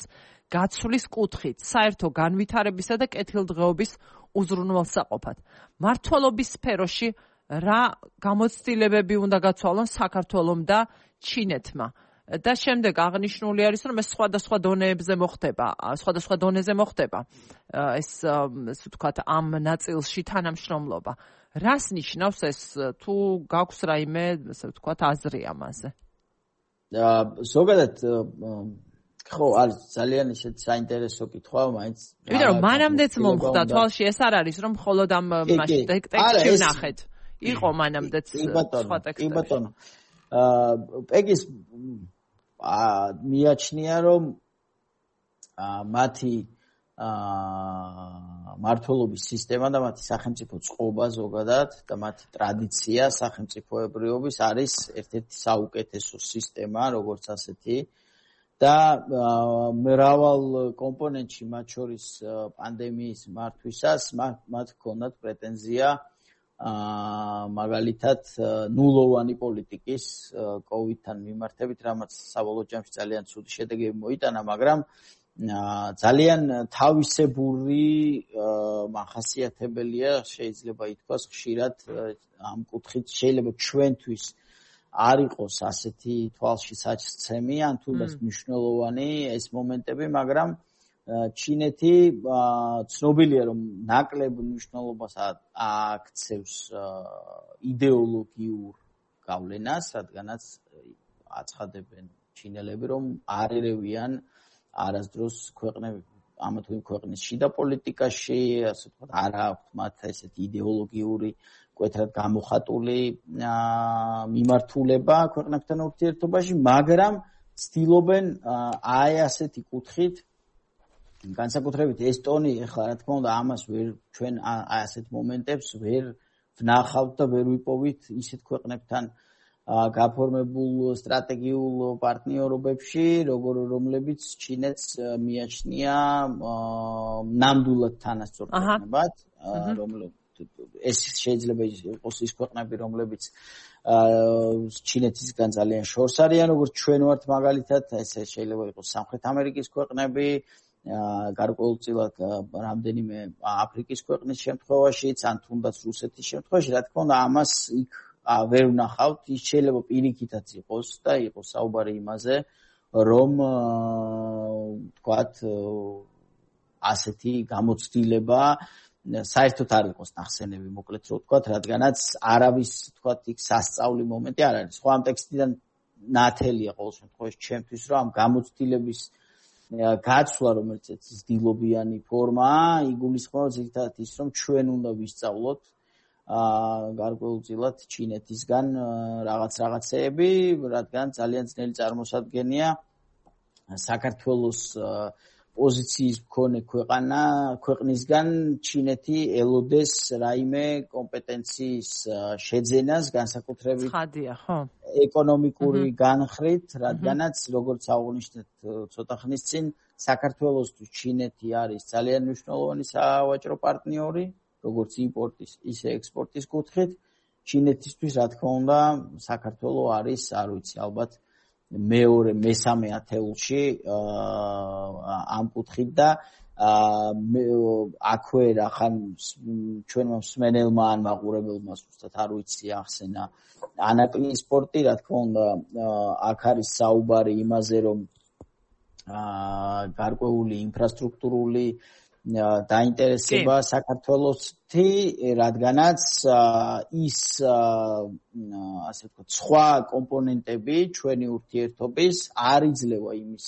A: გაცვლის კუთხით, საერთო განვითარებისა და კეთილდღეობის უზრუნველსაყოფად. მმართველობის სფეროში რა გამოცდილებები უნდა გაცვალონ საქართველომ და ჩინეთმა? და შემდეგ აღნიშნული არის, რომ ეს სხვადასხვა დონეებზე მოხდება, სხვადასხვა დონეზე მოხდება ეს ასე ვთქვათ ამ ნაწილში თანამშრომლობა. რას ნიშნავს ეს, თუ გაქვს რაიმე ასე ვთქვათ აზრი ამაზე?
B: ზოგადად ხო, არის ძალიან ისეთ საინტერესო კითხვა, მაინც
A: იმიტომ რომ მანამდეც მომხდა თვალში, ეს არ არის რომ მხოლოდ ამ ტექსტში ვნახეთ. იყო მანამდეც სხვა ტექსტები.
B: კი ბატონო. პეგის მიაჩნია, რომ მათი მმართველობის სისტემა და მათი სახელმწიფო წყობა ზოგადად და მათი ტრადიცია სახელმწიფოებრიობის არის ერთ-ერთი საუკეთესო სისტემა, როგორც ასეთი. და მრავალ კომპონენტში, მათ შორის პანდემიის მართვისას, მათ ჰქონდათ პრეტენზია მაგალითად ნულოვანი პოლიტიკის COVID-თან მიმართებით, რამაც საბოლოო ჯამში ძალიან ცუდი შედეგები მოიტანა, მაგრამ ძალიან თავისებური მახასიათებელია, შეიძლება ითქვას, ხშირად ამ კუთხით შეიძლება ჩვენთვის არ იყოს ასეთი თვალში საჩცემი, ან თუნდაც მნიშვნელოვანი ეს მომენტები, მაგრამ ჩინეთი ცნობილია, რომ ნაკლებ მნიშვნელობას აქცევს იდეოლოგიურ გავლენას, რადგანაც აცხადებენ ჩინელები, რომ არ ერევიან არასდროს ქვეყნები ამა თუ იმ ქვეყნის შიდა პოლიტიკაში, ასე ვთქვათ, არ აქვთ მათ ესეთი იდეოლოგიური კვეთრად გამოხატული მიმართულება ქვეყნებთან ურთიერთობაში, მაგრამ ცდილობენ აი ასეთი კუთხით, განსაკუთრებით ესტონი, ეხლა რა თქმა უნდა, ამას ჩვენ აი ასეთ მომენტებს ვერ ვნახავთ და ვერ ვიპოვით ისეთ ქვეყნებთან გაფორმებულ სტრატეგიულ პარტნიორობებში, რომლებიც ჩინეთს მიაჩნია ნამდვილად თანასწორ ქვეყნებად, ეს შეიძლება იყოს ის ქვეყნები, რომლებიც ჩინეთისგან ძალიან შორს არიან, როგორც ჩვენ ვართ მაგალითად, ეს შეიძლება იყოს სამხრეთ ამერიკის ქვეყნები, გარკვეულწილად რამდენიმე აფრიკის ქვეყნის შემთხვევაშიც, ან თუნდაც რუსეთის შემთხვევაში, რა თქმა უნდა, ამას იქ ვერ ვნახავთ, ის შეიძლება პირიქითაც იყოს და იყოს საუბარი იმაზე, რომ ვთქვათ, ასეთი გამოცდილება საერთოდ არ იყოს ნახსენები, მოკლედ რო ვთქვათ, რადგანაც არავის, ვთქვათ, იქ სასწაული მომენტი არ არის. ხო, ამ ტექსტიდან ნათელია ყოველ შემთხვევაში ჩემთვის, რომ ამ გამოცდილების გაცვლა, რომელიც ცდილობიანი ფორმაა, იგულისხმება ზოგადად ის, რომ ჩვენ უნდა ვისწავლოთ გარკვეულწილად ჩინეთისგან რაღაცეები, რადგან ძალიან ძნელი წარმოსადგენია საქართველოს პოზიციის მქონე ქვეყნისგან ჩინეთი ელოდეს რაიმე კომპეტენციის შეძენას, განსაკუთრებით ეკონომიკური განხრით, რადგანაც როგორც აღნიშნეთ ცოტა ხნის წინ, საქართველოსთვის ჩინეთი არის ძალიან მნიშვნელოვანი სავაჭრო პარტნიორი, როგორც იმპორტის, ისე ექსპორტის კუთხით. ჩინეთისთვის, რა თქმა უნდა, საქართველო არის, არ ვიცი, ალბათ მესამე ათეულში ამ კუთხით და აქვე რახან ჩვენმა მსმენელმა ან მაყურებელმა ზუსტად არ ვიცი ახსენა ანაკლიის სპორტი, რა თქმა უნდა, აქ არის საუბარი იმაზე, რომ გარკვეული ინფრასტრუქტურული დაინტერესება საქართველოსთი, რადგანაც ის ასე ვთქვათ, სხვა კომპონენტები ჩვენი ურთიერთობის არ იძლევა იმის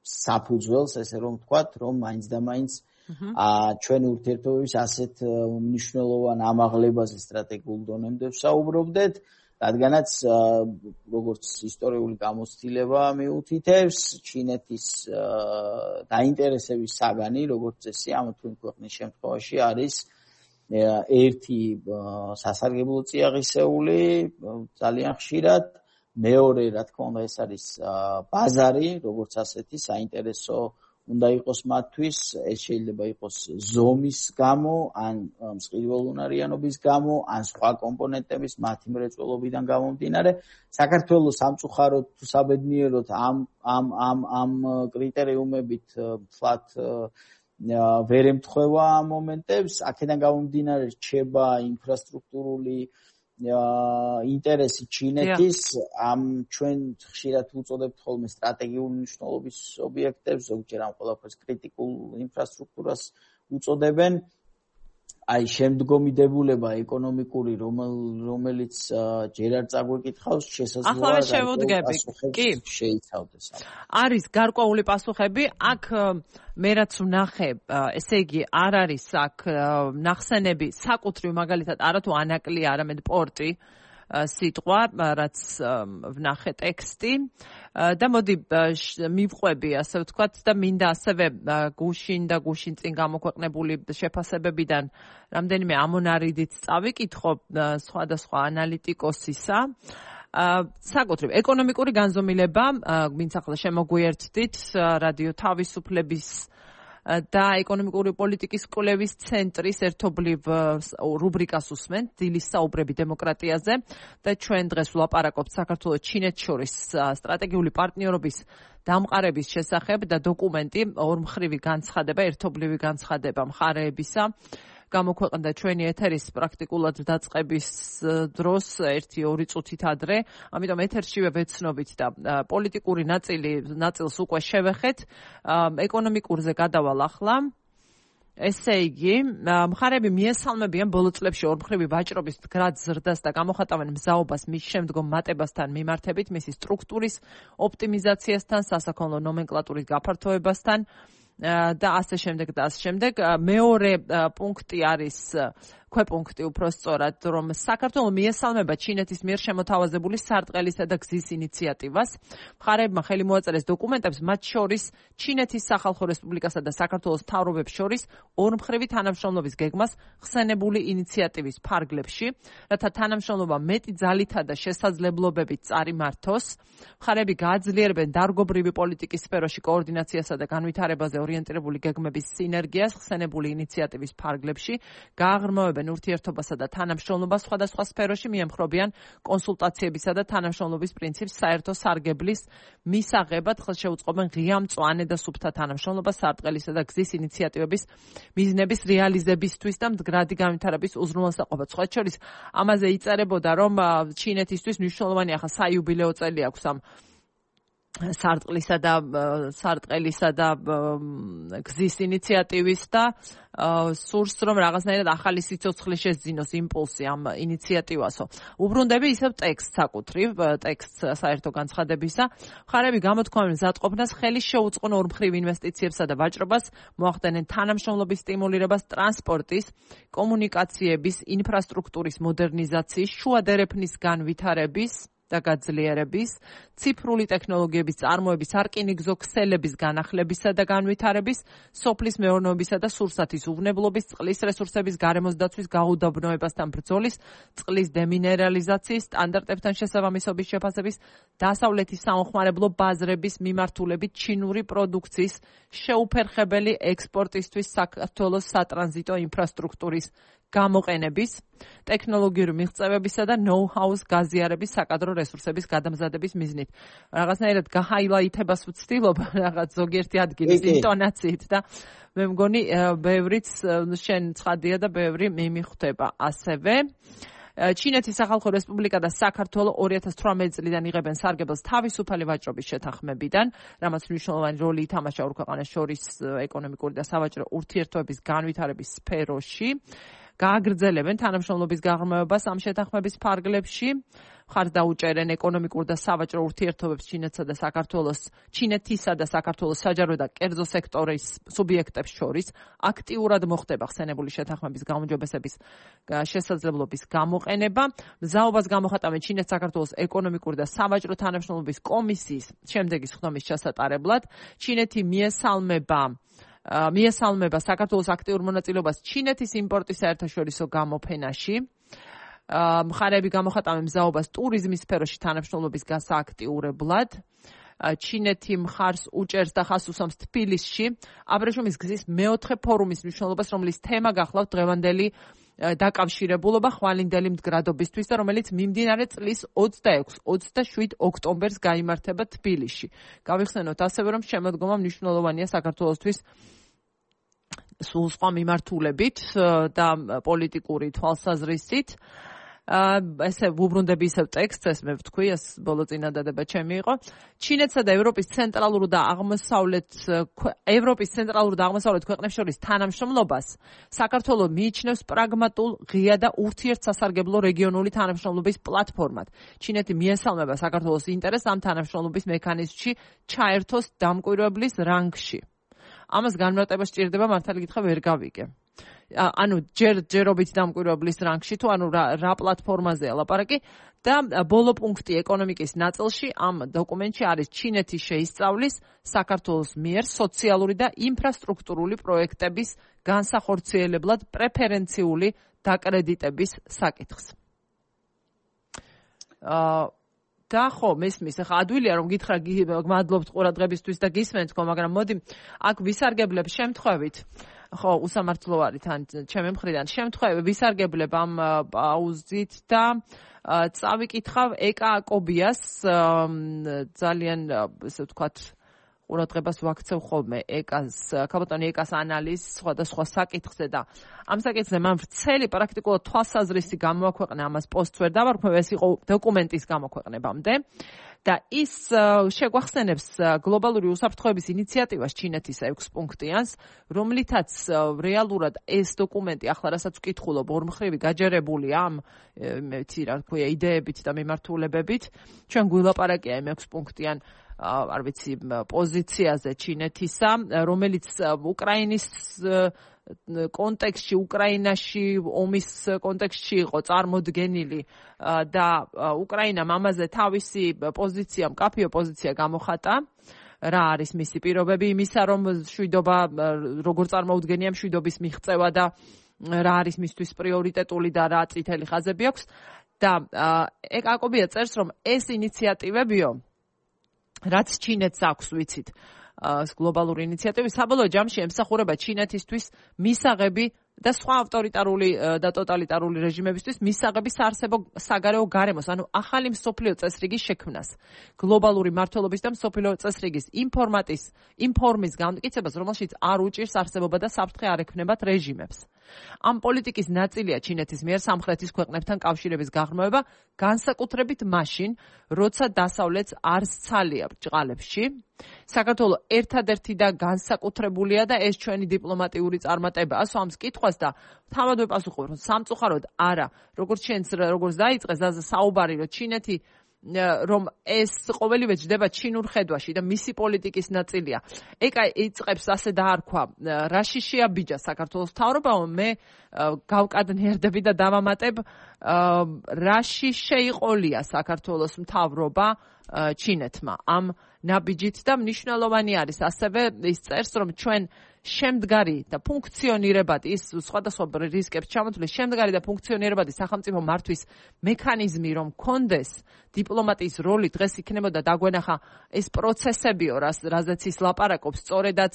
B: საფუძველს, ესე რომ ვთქვათ, რომ მაინც და მაინც ჩვენი ურთიერთობების ასეთ მნიშვნელოვან ამაღლებაზე სტრატეგიულ დონემდე ვსაუბრობდეთ, რადგანაც როგორც ისტორიული გამოცდილება მიუთითებს, ჩინეთის დაინტერესების საგანი, როგორც წესი, ამ თუ იმ ქვეყნის შემთხვევაში არის ერთი სასარგებლო წიაღისეული ძალიან ხშირად, მეორე, რა თქმა უნდა, ეს არის ბაზარი, როგორც ასეთი საინტერესო უნდა იყოს მათთვის, ეს შეიძლება იყოს ზომის გამო, ან მსყიდველუნარიანობის გამო, ან სხვა კომპონენტების მათი მრეწველობიდან გამომდინარე. საქართველოს სამწუხაროდ თუ საბედნიეროდ ამ კრიტერიუმებით ვთქვათ ვერ ემთხვევა ამ მომენტებს, აქედან გამომდინარე რჩება ინფრასტრუქტურული ინტერესი ჩინეთის ამ ჩვენ ხშირად უწოდებთ ხოლმე სტრატეგიული მნიშვნელობის ობიექტებს, ზოგჯერ ამ ყველაფერს კრიტიკულ ინფრასტრუქტურას უწოდებენ. აი შემდგომი დებულება ეკონომიკური, რომელიც ჯერ არ წაგვეკითხავს, შესაძლოა პასუხებს შეიცავდეს.
A: არის გარკვეული პასუხები, აქ მე რაც ვნახე, ესე იგი არ არის აქ ნახსენები საკუთრივ მაგალითად არათუ ანაკლი, არამედ პორტი სიტყვა, რაც ვნახე ტექსტი და მოდი მივყვები, ასე ვთქვათ, და მინდა ასევე გუშინ წინ გამოქვეყნებული შეფასებებიდან რამდენიმე ამონარიდით წავიკითხო სხვადასხვა ანალიტიკოსისა. საკუთრივ ეკონომიკური განზომილება, ვინც ახლა შემოგვიერთდით რადიო თავისუფლების და ეკონომიკური პოლიტიკის კვლევის ცენტრის ერთობლივ რუბრიკას უსმენთ დილის საუბრები დემოკრატიაზე და ჩვენ დღეს ვლაპარაკობთ საქართველოს ჩინეთს შორის სტრატეგიული პარტნიორობის დამყარების შესახებ და დოკუმენტი ორმხრივი განცხადება, ერთობლივი განცხადება მხარეებისა გამოქვეყნდა ჩვენი ეთერის პრაქტიკულად დაწყების დროს 1-2 წუთით ადრე, ამიტომ ეთერშივე ვეცნობით და პოლიტიკური ნაწილს უკვე შევეხეთ, ეკონომიკურზე გადავალ ახლა. ესე იგი, მხარეები მიესალმებიან ბოლო წლებში ორმხრივი ვაჭრობის მდგრად ზრდას და გამოხატავენ მზაობას მის შემდგომ მატებასთან მიმართებით, მისი სტრუქტურის ოპტიმიზაციასთან, სასაქონლო ნომენკლატურის გაფართოებასთან და ასე შემდეგ. მეორე პუნქტი არის ქვეპუნქტი უпроსწორად, რომ საქართველოს მიესალმება ჩინეთის მიერ შემოთავაზებული სარტყელისა და გზის ინიციატივას. მხარეებმა ხელი მოაწერეს დოკუმენტებს, მათ შორის ჩინეთის სახალხო რესპუბლიკასა და საქართველოს მთავრობებს შორის ორმხრივი თანამშრომლობის გეგმას ხსენებული ინიციატივის ფარგლებში, რათა თანამშრომლობა მეტი ძალითა და შესაძლებლობებით წარიმართოს. მხარეები გააძლიერებენ დარგობრივი პოლიტიკის სფეროში კოორდინაციასა და განვითარებაზე ორიენტირებული გეგმების სინერგიას ხსენებული ინიციატივის ფარგლებში, გააღრმავებენ ურთიერთობასა და თანამშრომლობას სხვადასხვა სფეროში, მიემხრობიან კონსულტაციებისა და თანამშრომლობის პრინციპს საერთო სარგებლის მისაღებად, ხელშეუწყობენ ღია, მწვანე და სუფთა თანამშრომლობას სარტყელისა და გზის ინიციატივების მიზნების რეალიზებისთვის და მდგრადი განვითარების უზრუნველსაყოფად. სხვა შორის, ამაზე იწერებოდა, რომ ჩინეთისთვის მნიშვნელოვანი ახლა საიუბილეო წელი აქვს ამ სარტყელისა და გზის ინიციატივის და სურს რომ რაღაცნაირად ახალი სიცოცხლე შეძინოს იმპულსი ამ ინიციატივასო. უბრუნდები ისევ ტექსტს საკუთრივ, ტექსტს საერთო განცხადებისა. მხარეები გამოთქვამენ მზადყოფნას, ხელი შეუწყონ ორმხრივ ინვესტიციებსა და ვაჭრობას, მოახდენენ თანამშრომლობის სტიმულირებას, ტრანსპორტის, კომუნიკაციების, ინფრასტრუქტურის მოდერნიზაციის, შუადერეფნის განვითარების და გაძლიერების, ციფრული ტექნოლოგიების წარმოების, არკინიგზო ქსელების განახლებისა და განვითარების, სოფლის მეურნეობისა და სურსათის უვნებლობის, წყლის რესურსების გარემოს დაცვის გაუდაბნოებასთან ბრძოლის, წყლის დემინერალიზაციის, სტანდარტებთან შესაბამისობის შეფასების, დასავლეთის საომხმარებლო ბაზრების მიმართულებით ჩინური პროდუქციის შეუფერხებელი ექსპორტისთვის საქართველოს სატრანზიტო ინფრასტრუქტურის გამოყენების, ტექნოლოგიური მიღწევებისა და ნოუ-ჰაუს გაზიარების საკადრო რესურსების გადამზადების მიზნით. რაღაცნაირად გაჰაილაითებას ვცდილობ რაღაც ზოგიერთი ადგილის ინტონაციით და მე მგონი ბევრიც შენ ცხადია და ბევრი მიმიხვდება ასევე. ჩინეთის სახალხო რესპუბლიკა და საქართველო 2018 წლიდან იღებენ სარგებელს თავისუფალი ვაჭრობის შეთანხმებიდან, რამაც მნიშვნელოვანი როლი ითამაშა ორ ქვეყანას შორის ეკონომიკური და სავაჭრო ურთიერთობების განვითარების სფეროში. გააგრძელებენ თანამშრომლობის გაღრმავებას ამ შეთანხმების ფარგლებში. მხარს დაუჭერენ ეკონომიკურ და სავაჭრო ურთიერთობებს ჩინეთისა და საქართველოს საჯარო და კერძო სექტორის სუბიექტებს შორის. აქტიურად მოხდება ხსენებული შეთანხმების გაუმჯობესების შესაძლებლობის გამოყენება. მზაობას გამოხატავენ ჩინეთ-საქართველოს ეკონომიკური და სავაჭრო თანამშრომლობის კომისიის შემდეგი სხდომის ჩასატარებლად. ჩინეთი მიესალმება საქართველოს აქტიურ მონაწილეობას ჩინეთის იმპორტის საერთაშორისო გამოფენაში. მხარეები გამოხატავენ მზაობას ტურიზმის სფეროში თანამშრომლობის გასააქტიურებლად. ჩინეთი მხარს უჭერს და ხაზს უსვამს თბილისში აბრეშუმის გზის მეოთხე ფორუმის მნიშვნელობას, რომლის თემა გახლავთ დღევანდელი დაკავშირებულობა ხვალინდელი მდგრადობისთვის და რომელიც მიმდინარე წლის 26-27 ოქტომბერს გაიმართება თბილისში. გავიხსენოთ ასევე, რომ შემოდგომა მნიშვნელოვანია საქართველოსთვის სულ სხვა მიმართულებით და პოლიტიკური თვალსაზრისით. ესე ვუბრუნდები ისევ ტექსტს, ეს მე ვთქვი, ეს ბოლო წინადადება ჩემი იყო. ჩინეთსა და ევროპის ცენტრალურ და აღმოსავლეთ ქვეყნებს შორის თანამშრომლობას საქართველოს მიიჩნევს პრაგმატულ, ღია და ურთიერთსასარგებლო რეგიონული თანამშრომლობის პლატფორმად. ჩინეთი მიესალმება საქართველოს ინტერესს ამ თანამშრომლობის მექანიზმში ჩაერთოს დამკვირვებლის რანგში. ამას განმარტება სჭირდება, მართალი გითხრა ვერ გავიგე. ანუ ჯერობით დამკვირვებლის რანგში თუ ანუ რა პლატფორმაზეა ლაპარაკი და ბოლო პუნქტი ეკონომიკის ნაწილში ამ დოკუმენტში არის ჩინეთი შეისწავლის საქართველოს მიერ სოციალური და ინფრასტრუქტურული პროექტების განსახორციელებლად პრეფერენციული დაკრედიტების საკითხს. და ხო, მესმის, ახლა ადვილია რომ გითხრა გმადლობთ ყურადღებისთვის და გისმენთ ხო, მაგრამ მოდი აქ ვისარგებლებ შემთხვევით. ხო, უსამართლო არის თან ჩემი მხრიდან. შემთხვევით ვისარგებლებ ამ პაუზით და წავიკითხავ ეკა აკობიას ძალიან ესე ვთქვათ ყურადღებას ვაქცევ ხოლმე ქალბატონი ეკას ანალიზს სხვადასხვა საკითხზე და ამ საკითხზე მან ვრცელი პრაქტიკულად თვალსაზრისი გამოაქვეყნა, ამას პოსტს ვერ დავარქმევ, ეს იყო დოკუმენტის გამოქვეყნებამდე და ის შეგვახსენებს გლობალური უსაფრთხოების ინიციატივას ჩინეთის 6 პუნქტიანს, რომლითაც რეალურად ეს დოკუმენტი ახლა რასაც ვკითხულობ ორმხრივი გაჯერებულია ამ რა ქვია იდეებით და მიმართულებებით. ჩვენ გვილაპარაკია იმ 6 პუნქტიან არ ვიცი პოზიციაზე ჩინეთისა, რომელიც უკრაინის კონტექსტში, უკრაინაში ომის კონტექსტში იყო წარმოდგენილი და უკრაინამ ამაზე თავისი პოზიცია, მკაფიო პოზიცია გამოხატა. რა არის მისი პირობები იმისა, რომ მშვიდობა როგორ წარმოუდგენია მშვიდობის მიღწევა და რა არის მისთვის პრიორიტეტული და რა წითელი ხაზები აქვს და აკობია წერს, რომ ეს ინიციატივებიო რაც ჩინეთს აქვს, ვიცით, გლობალური ინიციატივი საბოლოო ჯამში ემსახურება ჩინეთისთვის მისაღები და სხვა ავტორიტარული და ტოტალიტარული რეჟიმებისთვის მისაღები საარსებო საგარეო გარემოს, ანუ ახალი მსოფლიო წესრიგის შექმნას, გლობალური მმართველობის და მსოფლიო წესრიგის ინფორმის განმტკიცებას, რომელშიც არ უჭირს არსებობა და საფრთხე არ ექმნებათ რეჟიმებს. ამ პოლიტიკის ნაწილია ჩინეთის მიერ სამხრეთის ქვეყნებთან კავშირების გაღრმავება, განსაკუთრებით მაშინ, როცა დასავლეთს არ სცალია ბრჭყალებში. საქართველოს ერთადერთი და განსაკუთრებულია და ეს ჩვენი დიპლომატიური წარმატება. ასვამს კითხვას და თავად ვეპასუხობ, რომ სამწუხაროდ არა, როგორც დაიწყეს საუბარი, რომ ჩინეთი რომ ეს ყოველივე ჯდება ჩინურ ხედვაში და მისი პოლიტიკის ნაწილია. ეკა იწყებს ასე დაარქვა, რაში შეაბიჯა საქართველოს მთავრობამ, მე გავკადნიერდები და დავამატებ, რაში შეიყოლია საქართველოს მთავრობა ჩინეთმა ამ ნაბიჯით და მნიშვნელოვანი არის ასევე ის წერს, რომ ჩვენ შემდგარი და ფუნქციონირებადი ის სხვადასხვა რისკებს ჩამოთვლის შემდგარი და ფუნქციონირებადი სახელმწიფო მართვის მექანიზმი რომ კონდეს დიპლომატიის როლი დღეს იქნებოდა დაგვენახა ეს პროცესებიო რაზეც ის ლაპარაკობს სწორედაც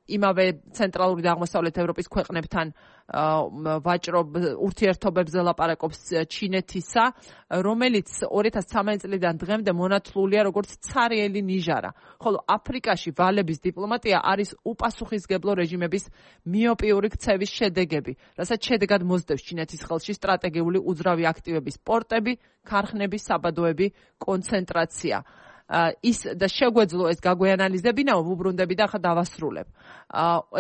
A: იმავე ცენტრალური და აღმოსავლეთ ევროპის ქვეყნებთან ვაჭრობ ურთიერთობებზე ლაპარაკობს ჩინეთისა, რომელიც 2013 წლიდან დღემდე მონათლულია როგორც ცარიელი ნიჟარა. ხოლო აფრიკაში ვალების დიპლომატია არის უპასუხისმგებლო რეჟიმების მიოპიური ქცევის შედეგები, რასაც შედეგად მოსდევს ჩინეთის ხელში სტრატეგიული უძრავი აქტივების პორტები, ქარხნები, საბადოები, კონცენტრაცია. ის და შეგვეძლო ეს გაგვეანალიზებინაო, ვუბრუნდები და ახლა დავასრულებ.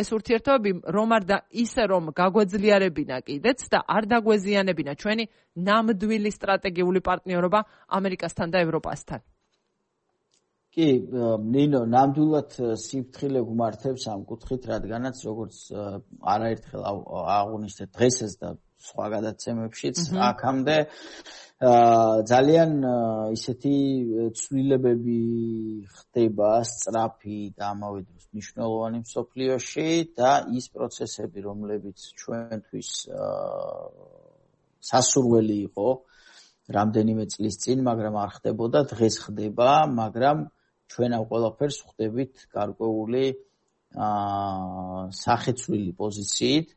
A: ეს ურთიერთობები რომ არ და ისე რომ გაგვეძლიერებინა კიდეც და არ დაგვეზიანებინა ჩვენი ნამდვილი სტრატეგიული პარტნიორობა ამერიკასთან და ევროპასთან.
B: კი, ნინო, ნამდვილად სიფრთხილე გმართებს ამ კუთხით, რადგანაც როგორც არაერთხელ აღვნიშნეთ დღესაც და სხვა გადაცემებშიც აქამდე ძალიან ისეთი ცვლილებები ხდება სწრაფი და ამავე დროს მნიშვნელოვანი მსოფლიოში და ის პროცესები, რომლებიც ჩვენთვის სასურველი იყო რამდენიმე წლის წინ, მაგრამ არ ხდებოდა, დღეს ხდება, მაგრამ ჩვენ ამ ყველაფერს ხვდებით გარკვეული სახეცვლილი პოზიციით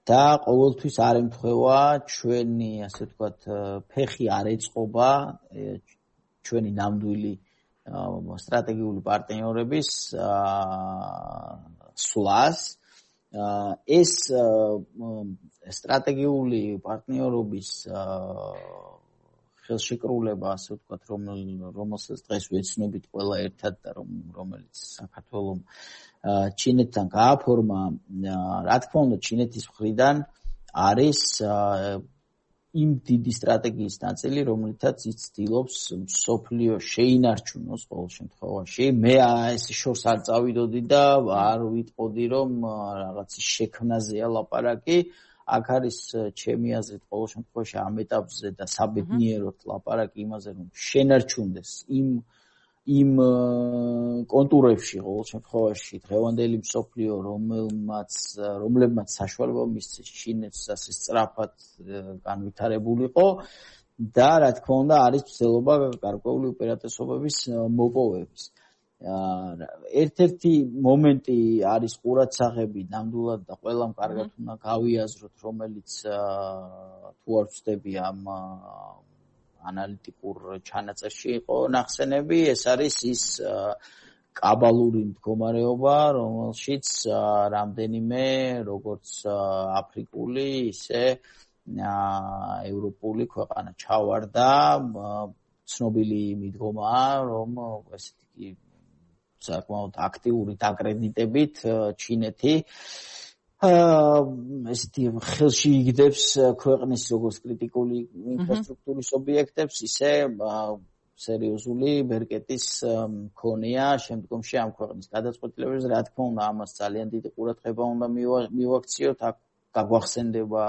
B: და ყოველთვის არ ემთხვევა ჩვენი, ასე ვთქვათ, ფეხი არ ეწყობა ჩვენი ნამდვილი სტრატეგიული პარტნიორების სვლას. ეს სტრატეგიული პარტნიორობის ხელშეკრულება, ასე ვთქვათ, რომელსაც დღეს ვეცნობით ყველა ერთად და რომელიც საქართველოს ჩინეთთან გააფორმა, რა თქმა უნდა, ჩინეთის მხრიდან არის იმ დიდი სტრატეგიის ნაწილი, რომლითაც ის ცდილობს მსოფლიო შეინარჩუნოს ყოველ შემთხვევაში. მე ეს შორს არ წავიდოდი და არ ვიტყოდი, რომ რაღაცის შექმნაზეა ლაპარაკი. აქ არის ჩემი აზრით ყოველ შემთხვევაში ამ ეტაპზე და საბედნიეროდ ლაპარაკი იმაზე, რომ შენარჩუნდეს იმ კონტურებში ყოველ შემთხვევაში დღევანდელი მსოფლიო, რომლებმაც საშუალება მისცეს ჩინეთს ასე სწრაფად განვითარებულიყო და რა თქმა უნდა არის ცდილობა გარკვეული უპირატესობების მოპოვების. ერთ-ერთი მომენტი არის ყურადსაღები ნამდვილად და ყველამ კარგად უნდა გავიაზროთ, რომელიც თუ არ ვწდები ამ ანალიტიკურ ჩანაწერში იყო ნახსენები, ეს არის ის კაბალური მდგომარეობა, რომელშიც რამდენიმე როგორც აფრიკული, ისე ევროპული ქვეყანა ჩავარდა. ცნობილი მიდგომაა, რომ ესეთი კი საკმაოდ აქტიური დაკრედიტებით ჩინეთი ესეთი ხელში იგდებს ქვეყნის როგორც კრიტიკული ინფრასტრუქტურის ობიექტებს, ისე სერიოზული ბერკეტის მქონეა შემდგომში ამ ქვეყნის გადაწყვეტილებებზე. რა თქმა უნდა, ამას ძალიან დიდი ყურადღება უნდა მივაქციოთ. აქ გაგვახსენდება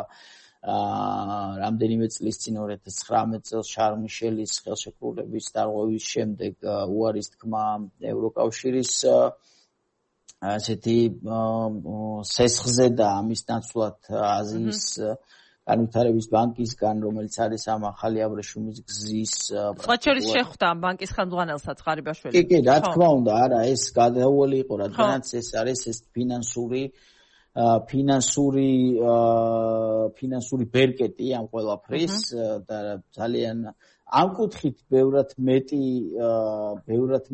B: რამდენიმე წლის წინ 2019 წელს შარლ მიშელის ხელშეკრულების დარღვევის შემდეგ უარის თქმა ევროკავშირის ასეთი სესხზე და ამის ნაცვლად აზიის განვითარების ბანკისგან, რომელიც არის ამ ახალი აბრეშუმის გზის
A: სხვა შორის შეხვდა ამ ბანკის ხელმძღვანელსაც ღარიბაშვილი.
B: კი, რა თქმა უნდა, არა, ეს გადაუვალი იყო, რადგანაც ეს არის ეს ფინანსური ბერკეტი ამ ყველაფრის და ძალიან ამ კუთხით ბევრად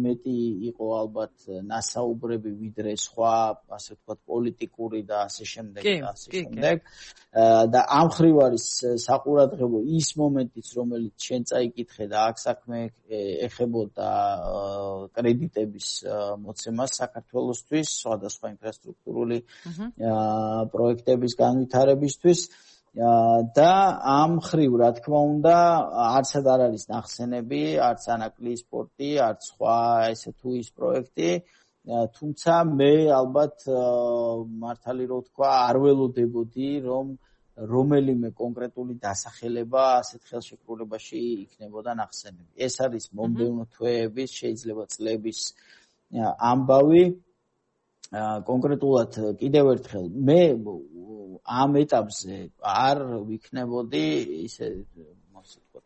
B: მეტი იყო albათ ნასაუბრები ვიდრე სხვა, ასე ვთქვათ, პოლიტიკური და ასე შემდეგ და ასე შემდეგ. და ამ ხრივ არის საყურადღებო ის მომენტიც, რომელიც შენ წაიკითხე და აქ საქმე ეხებოდა კრედიტების მოცემას საქართველოსთვის, სხვადასხვა ინფრასტრუქტურული პროექტების განვითარებისთვის. და ამ ხრივ, რა თქმა უნდა, არცად არ არის ნახსენები, არც ანაკლის სპორტი, არც სხვა ესე თუ ის პროექტი, თუმცა მე ალბათ მართალი რო ვთქვა, არ ველოდებოდი, რომ რომელიმე კონკრეტული დასახელება ასეთ ხელშეკრულებაში იქნებოდა ნახსენები. ეს არის მომდევნო თვეების, შეიძლება წლების ამბავი. კონკრეტულად კიდევ ერთხელ მე ამ ეტაპზე არ ვიქნებოდი ისე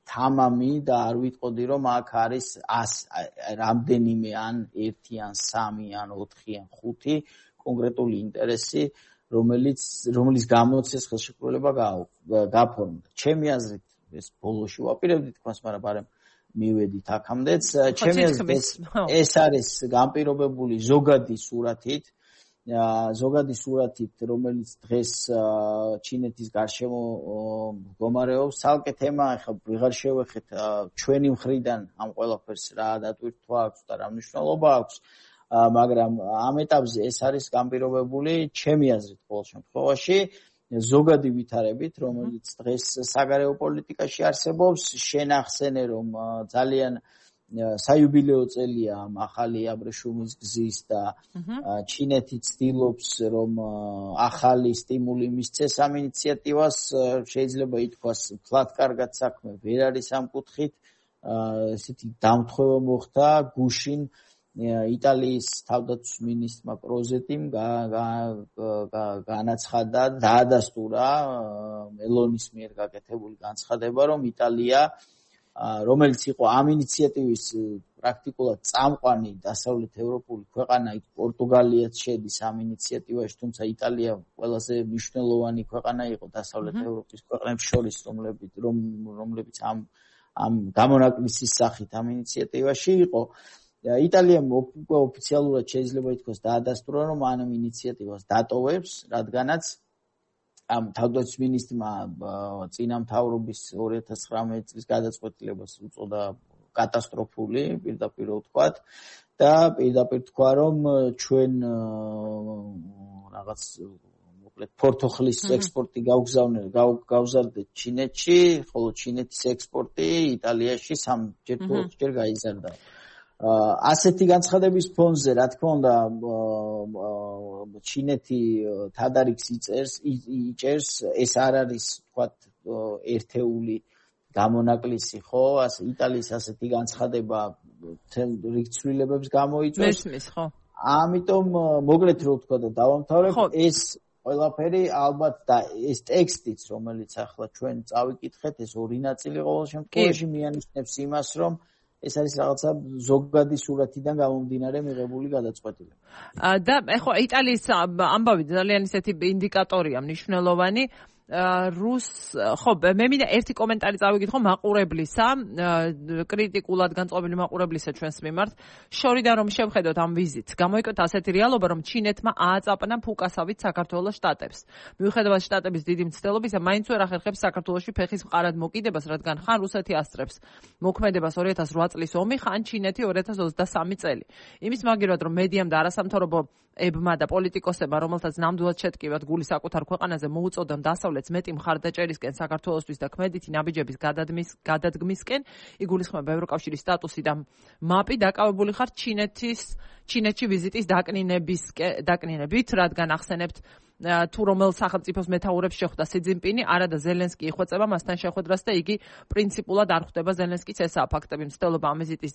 B: თამამი და არ ვიტყოდი, რომ აქ არის რამდენიმე ან 1 ან 3 ან 4 ან 5 კონკრეტული ინტერესი, რომელიც გამოც ეს ხელშეკრულება გაფორმდა. ჩემი აზრით ეს ბოლოში ვაპირებდი თქოს, მაგრამ ბარემ მივედით აქამდეც. ჩემი აზრით ეს არის განპირობებული ზოგადი სურათით, ზოგადი სურათით, რომელიც დღეს ჩინეთის გარშემო მდგომარეობს, ცალკე თემა, ახლა ვიღარ შევეხეთ ჩვენი მხრიდან ამ ყველაფერს რა დატვირთვა აქვს და რა მნიშვნელობა აქვს, მაგრამ ამ ეტაპზე ეს არის განპირობებული ჩემი აზრით ყოველ შემთხვევაში ზოგადი ვითარებით, რომელიც დღეს საგარეო პოლიტიკაში არსებობს, შენახსენე რომ ძალიან საიუბილეო წელია ახალი აბრეშუმის გზის და ჩინეთი ცდილობს რომ ახალი სტიმული მისცეს ამ ინიციატივას, შეიძლება ითქვას ფლად კარგად საქმე ვერ არის ამ კუთხით, ესეთი დამთხვევა მოხდა გუშინ იტალიის თავდაცვის მინისტრმა პროზეტიმ განაცხადა, დაადასტურა მელონის მიერ გაკეთებული განცხადება, რომ იტალია რომელიც იყო ამ ინიციატივის პრაქტიკულად წამყვანი დასავლეთ ევროპული ქვეყანა, პორტუგალიაც შედის ამ ინიციატივაში, თუმცა იტალია ყველაზე მნიშვნელოვანი ქვეყანა იყო დასავლეთ ევროპის ქვეყნებს შორის, რომლებიც ამ გამონაკლისის სახით ამ ინიციატივაში იყო. იტალიამ ოფიციალურად შეიძლება ითქვას დაადასტურა, რომ ამ ინიციატივას დატოვებს, რადგანაც ამ თავდაცვის მინისტრმა წინა მთავრობის 2019 წლის გადაწყვეტილებას უწოდა კატასტროფული, პირდაპირ ვთქვათ და პირდაპირ თქვა, რომ ჩვენ რაღაც მოკლედ ფორთოხლის ექსპორტი გავზარდეთ ჩინეთში, ხოლო ჩინეთის ექსპორტი იტალიაში 3-ჯერ თუ 4-ჯერ გაიზარდა. ასეთი განცხადების ფონზე, რა თქმა უნდა, ჩინეთი თადარიგს იჭერს, ეს არ არის, ვთქვათ, ერთეული გამონაკლისი, ხო? იტალიის ასეთი განცხადება თელ რიგ ცვლილებებს გამოიწვევს.
A: მესმის, ხო?
B: ამიტომ მოკლედ რო ვთქვა და დავამთავრებ, ეს ყველაფერი ალბათ და ეს ტექსტიც, რომელიც ახლა ჩვენ წავიკითხეთ, ეს ორი ნაწილი ყოველ შემთხვევაში მიანიშნებს იმას, რომ ეს არის რაღაცა ზოგადი სურათიდან გამომდინარე მიღებული გადაწყვეტილება.
A: და ეხლა იტალიის ამბავი ძალიან ისეთი ინდიკატორია მნიშვნელოვანი. ხო, მე მინდა ერთი კომენტარი წავიკითხო მაყურებლისა, კრიტიკულად განწყობილი მაყურებლისა ჩვენს მიმართ. შორიდან რომ შევხედოთ ამ ვიზიტს, გამოიკოთ ასეთი რეალობა, რომ ჩინეთმა ააწაპნა ფუკასავით საქართველოს შტატებს. მიუხედავად შტატების დიდი მცდელობისა, მაინც ვერ ახერხებს საქართველოში ფეხის მყარად მოკიდებას, რადგან ხან რუსეთი ასწრებს მოქმედებას 2008 წლის ომი, ხან ჩინეთი 2023 წელი. იმის მაგერად რომ მედიამ და არასამთავრობოებმა და პოლიტიკოსებმა, რომელთაც ნამდვილად შეტკივათ გული საკუთარ ქვეყანაზე მოუწოდონ დასავლეთს მეტი მხარდაჭერისკენ საქართველოსთვის და ქმედითი ნაბიჯების გადადგმისკენ, იგულისხმება ევროკავშირის სტატუსი და მაპი დაკავებული ხარ ჩინეთში ვიზიტის დაკნინებით, რადგან ახსენებთ თუ რომელ სახელმწიფოს მეთაურებს შეხვდა სი ძინპინი, არა და ზელენსკი იხვეწება მასთან შეხვედრას და იგი პრინციპულად არ ხვდება ზელენსკის ესაა ფაქტები. მცდელობა ამ ვიზიტის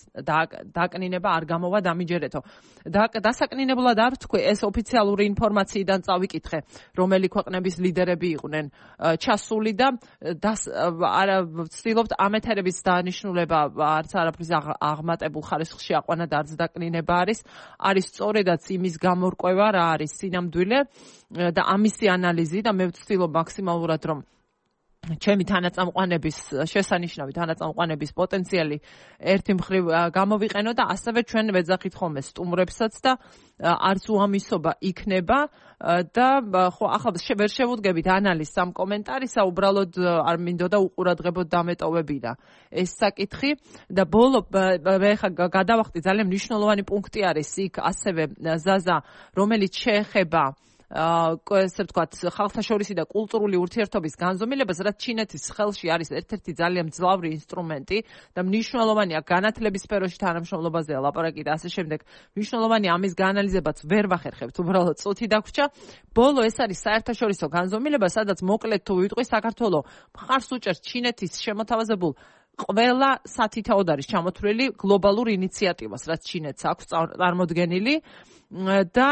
A: დაკნინება არ გამოვა დამიჯერეთო. დასაკნინებლად არ თქვი, ეს ოფიციალური ინფორმაციიდან წავიკითხე, რომელი ქვეყნების ლიდერები იყვნენ ჩასული და ვცდილობთ ამ ეთერების დანიშნულება არც არაფრის აღმატებულ ხარისხში აყვანა და არც დაკნინება არის სწორედაც იმის გამორკვევა რა არის სინამდვილე და ამისი ანალიზი და მე ვცდილობ მაქსიმალურად რომ ჩემი თანაწამყვანების შესანიშნავი თანაწამყვანების პოტენციალი ერთი მხრივ გამოვიყენო და ასევე ჩვენ ვეძახით ხოლმე სტუმრებსაც და არც უამისობა იქნება და ხო ახლა ვერ შევუდგებით ანალიზს ამ კომენტარისა, უბრალოდ არ მინდოდა უყურადღებოდ დამეტოვებინა ეს საკითხი და ბოლო მე ხა გადავახტი ძალიან მნიშვნელოვანი პუნქტი არის იქ ასევე ზაზა, რომელიც შეეხება ესე ვთქვათ, ხალხთაშორისი და კულტურული ურთიერთობის განზომილებას, რაც ჩინეთის ხელში არის ერთ-ერთი ძალიან მძლავრი ინსტრუმენტი და მნიშვნელოვანია განათლების სფეროში თანამშრომლობაზეა ლაპარაკი და ასე შემდეგ. მნიშვნელოვანია ამის გაანალიზებაც ვერ ვახერხებთ, უბრალოდ წუთი დაგვრჩა. ბოლო ეს არის საერთაშორისო განზომილება, სადაც მოკლედ თუ ვიტყვი, საქართველოს მხარს უჭერს ჩინეთის შემოთავაზებულ ყველა სათითაოდ არის ჩამოთვლილი გლობალურ ინიციატივას, რაც ჩინეთს აქვს წარმოდგენილი და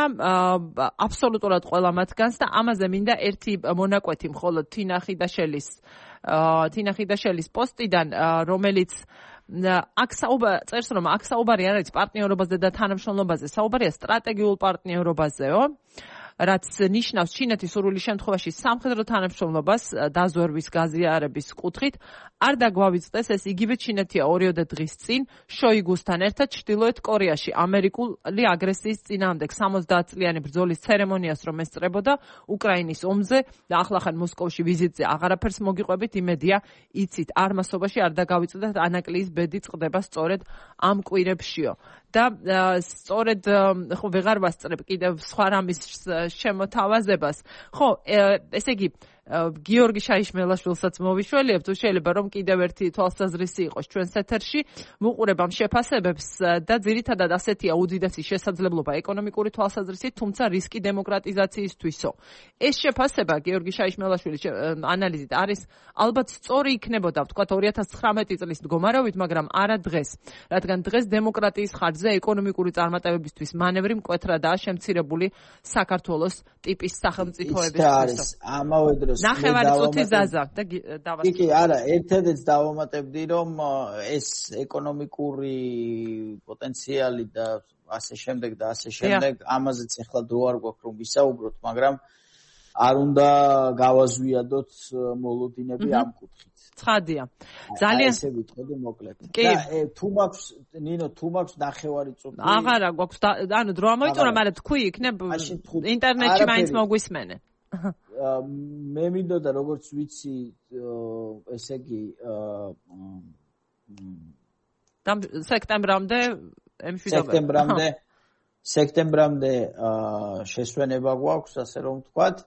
A: აბსოლუტურად ყველა მათგანს და ამაზე მინდა ერთი მონაკვეთი მხოლოდ თინა ხიდაშელის პოსტიდან, რომელიც აქ წერს, რომ აქ საუბარი არ არის პარტნიორობაზე და თანამშრომლობაზე, საუბარია სტრატეგიულ პარტნიორობაზეო. რაც ნიშნავს ჩინეთის სურვილის შემთხვევაში სამხედრო თანამშრომლობას დაზვერვის გაზიარების კუთხით არ დაგვავიწყდეს ეს იგივე ჩინეთია 2 დღის წინ შოიგუსთან ერთად ჩრდილოეთ კორეაში ამერიკული აგრესიის წინააღმდეგ 70 წლიანი ბრძოლის ცერემონიას რომ ესწრებოდა უკრაინის ომზე და ახლახან მოსკოვში ვიზიტზე აღარაფერს მოგიყვებით იმედია იცით არ მასობაში არ დაგავიწყდეთ ანაკლიის ბედი წყდება სწორედ ამ კვირებშიო და სწორედ ხო ვეღარ ვასწრებ კიდევ სხვა რამის შემოთავაზებას ხო ესე იგი გიორგი შაიშმელაშვილსაც მოვიშველიებთ თუ შეიძლება რომ კიდევ ერთი თვალსაზრისი იყოს ჩვენს ეთერში ვუყურებ ამ შეფასებებს და ძირითადად ასეთია უდიდესი შესაძლებლობა ეკონომიკური თვალსაზრისით თუმცა რისკი დემოკრატიზაციისთვისო ეს შეფასება გიორგი შაიშმელაშვილის ანალიზით არის ალბათ სწორი იქნებოდა ვთქვათ 2019 წლის მდგომარეობით მაგრამ არა დღეს რადგან დღეს დემოკრატიის ხარჯზე ეკონომიკური წარმატებებისთვის მანევრი მკვეთრადაა შემცირებული საქართველოს ტიპის სახელმწიფოებისთვის
B: ამავე დროს
A: ნახევარი წუთი ზაზა და დავასრულებ.
B: კი, არა, ერთადერთს დავამატებდი, რომ ეს ეკონომიკური პოტენციალი და ასე შემდეგ და ასე შემდეგ, ამაზეც ახლა დრო არ გვაქვს რომ ვისაუბროთ, მაგრამ არ უნდა გავაზვიადოთ მოლოდინები ამ კუთხით.
A: ცხადია. ძალიან
B: ესე ვიტყოდი მოკლედ. და თუ მაქვს ნინო, თუ მაქვს ნახევარი წუთი.
A: აღარა გვაქვს, ანუ დრო ამოიწურა, მაგრამ თქვი იქნებ ინტერნეტში მაინც მოგვისმენენ.
B: მე მინდოდა როგორც ვიცი ესე იგი სექტემბრამდე შესვენება გვაქვს ასე რომ ვთქვათ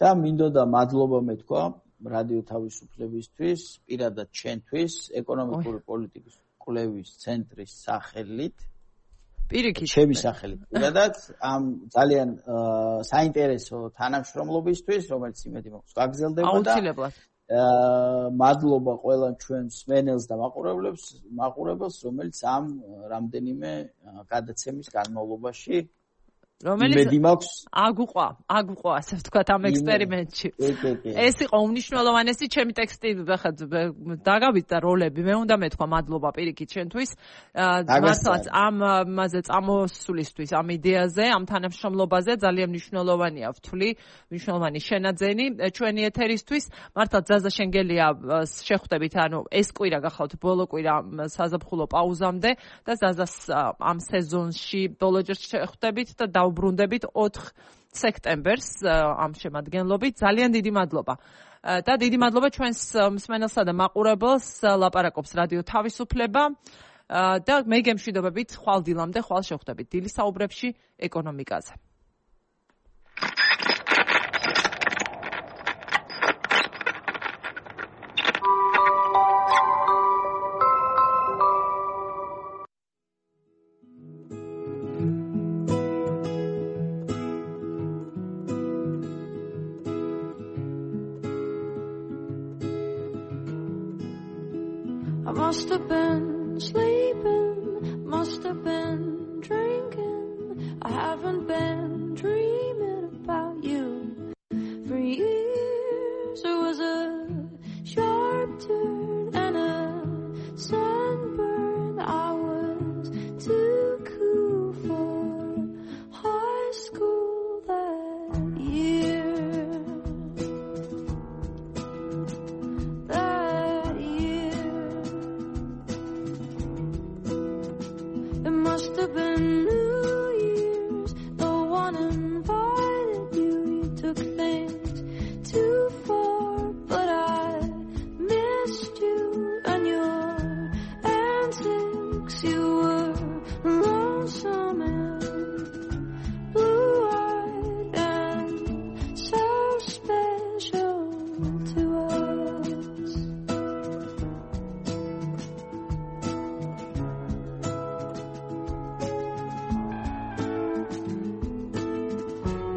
B: და მინდოდა მადლობა მეთქვა რადიო თავისუფლებისთვის პირადად ჩვენთვის ეკონომიკური პოლიტიკის კვლევის ცენტრის სახელით
A: პირიქით
B: ჩემი სახელით პირადად ამ ძალიან საინტერესო თანამშრომლობისთვის რომელიც იმედი მაქვს გაგრძელდება და
A: აუცილებლად
B: მადლობა ყველა ჩვენს მენელს და მაყურებელს რომელიც ამ რამდენიმე გადაცემის განმავლობაში
A: რომელიც აგუყვა ასე ვთქვათ ამ ექსპერიმენტში ეს იყო უმნიშვნელოვანესი ჩემი ტექსტი დაგავიწყდა როლები მე უნდა მეთქვა მადლობა პირიქით ჩვენთვის მართლაც ამაზე წამოსვლისთვის ამ იდეაზე ამ თანამშრომლობაზე ძალიან მნიშვნელოვანია ვთვლი მნიშვნელოვანი შენაძენი ჩვენი ეთერისთვის მართლაც ზაზა შენგელია შეხვდებით ანუ ეს კვირა გახავთ ბოლო კვირა საზაფხულო პაუზამდე და ზაზას ამ სეზონში ბოლოჯერ შეხვდებით და დაუბრუნდებით 4 სექტემბერს ამ შემადგენლობით ძალიან დიდი მადლობა და დიდი მადლობა ჩვენს მსმენელსა და მაყურებელს ლაპარაკობს რადიო თავისუფლება და მე გემშვიდობებით ხვალ დილამდე ხვალ შეხვდებით დილის საუბრებში ეკონომიკაზე
C: Must have been sleeping, must have been drinking. I haven't been dreaming about you for years. It was a sharp turn and a sunburn. I was too cool for high school that year. Must have been New Year's. No one invited you. You took things too far, but I missed you and your antics. You were lonesome and blue-eyed and so special to us.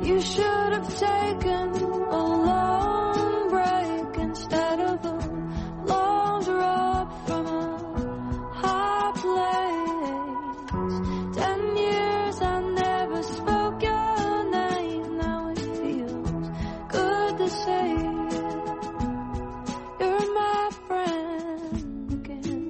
C: You should have taken a long break instead of the long drop from a high place. 10 years I never spoke your name. Now it feels good to say you're my friend again.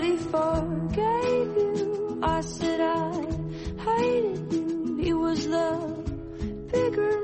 C: he forgave you. I said I hated you. He was the bigger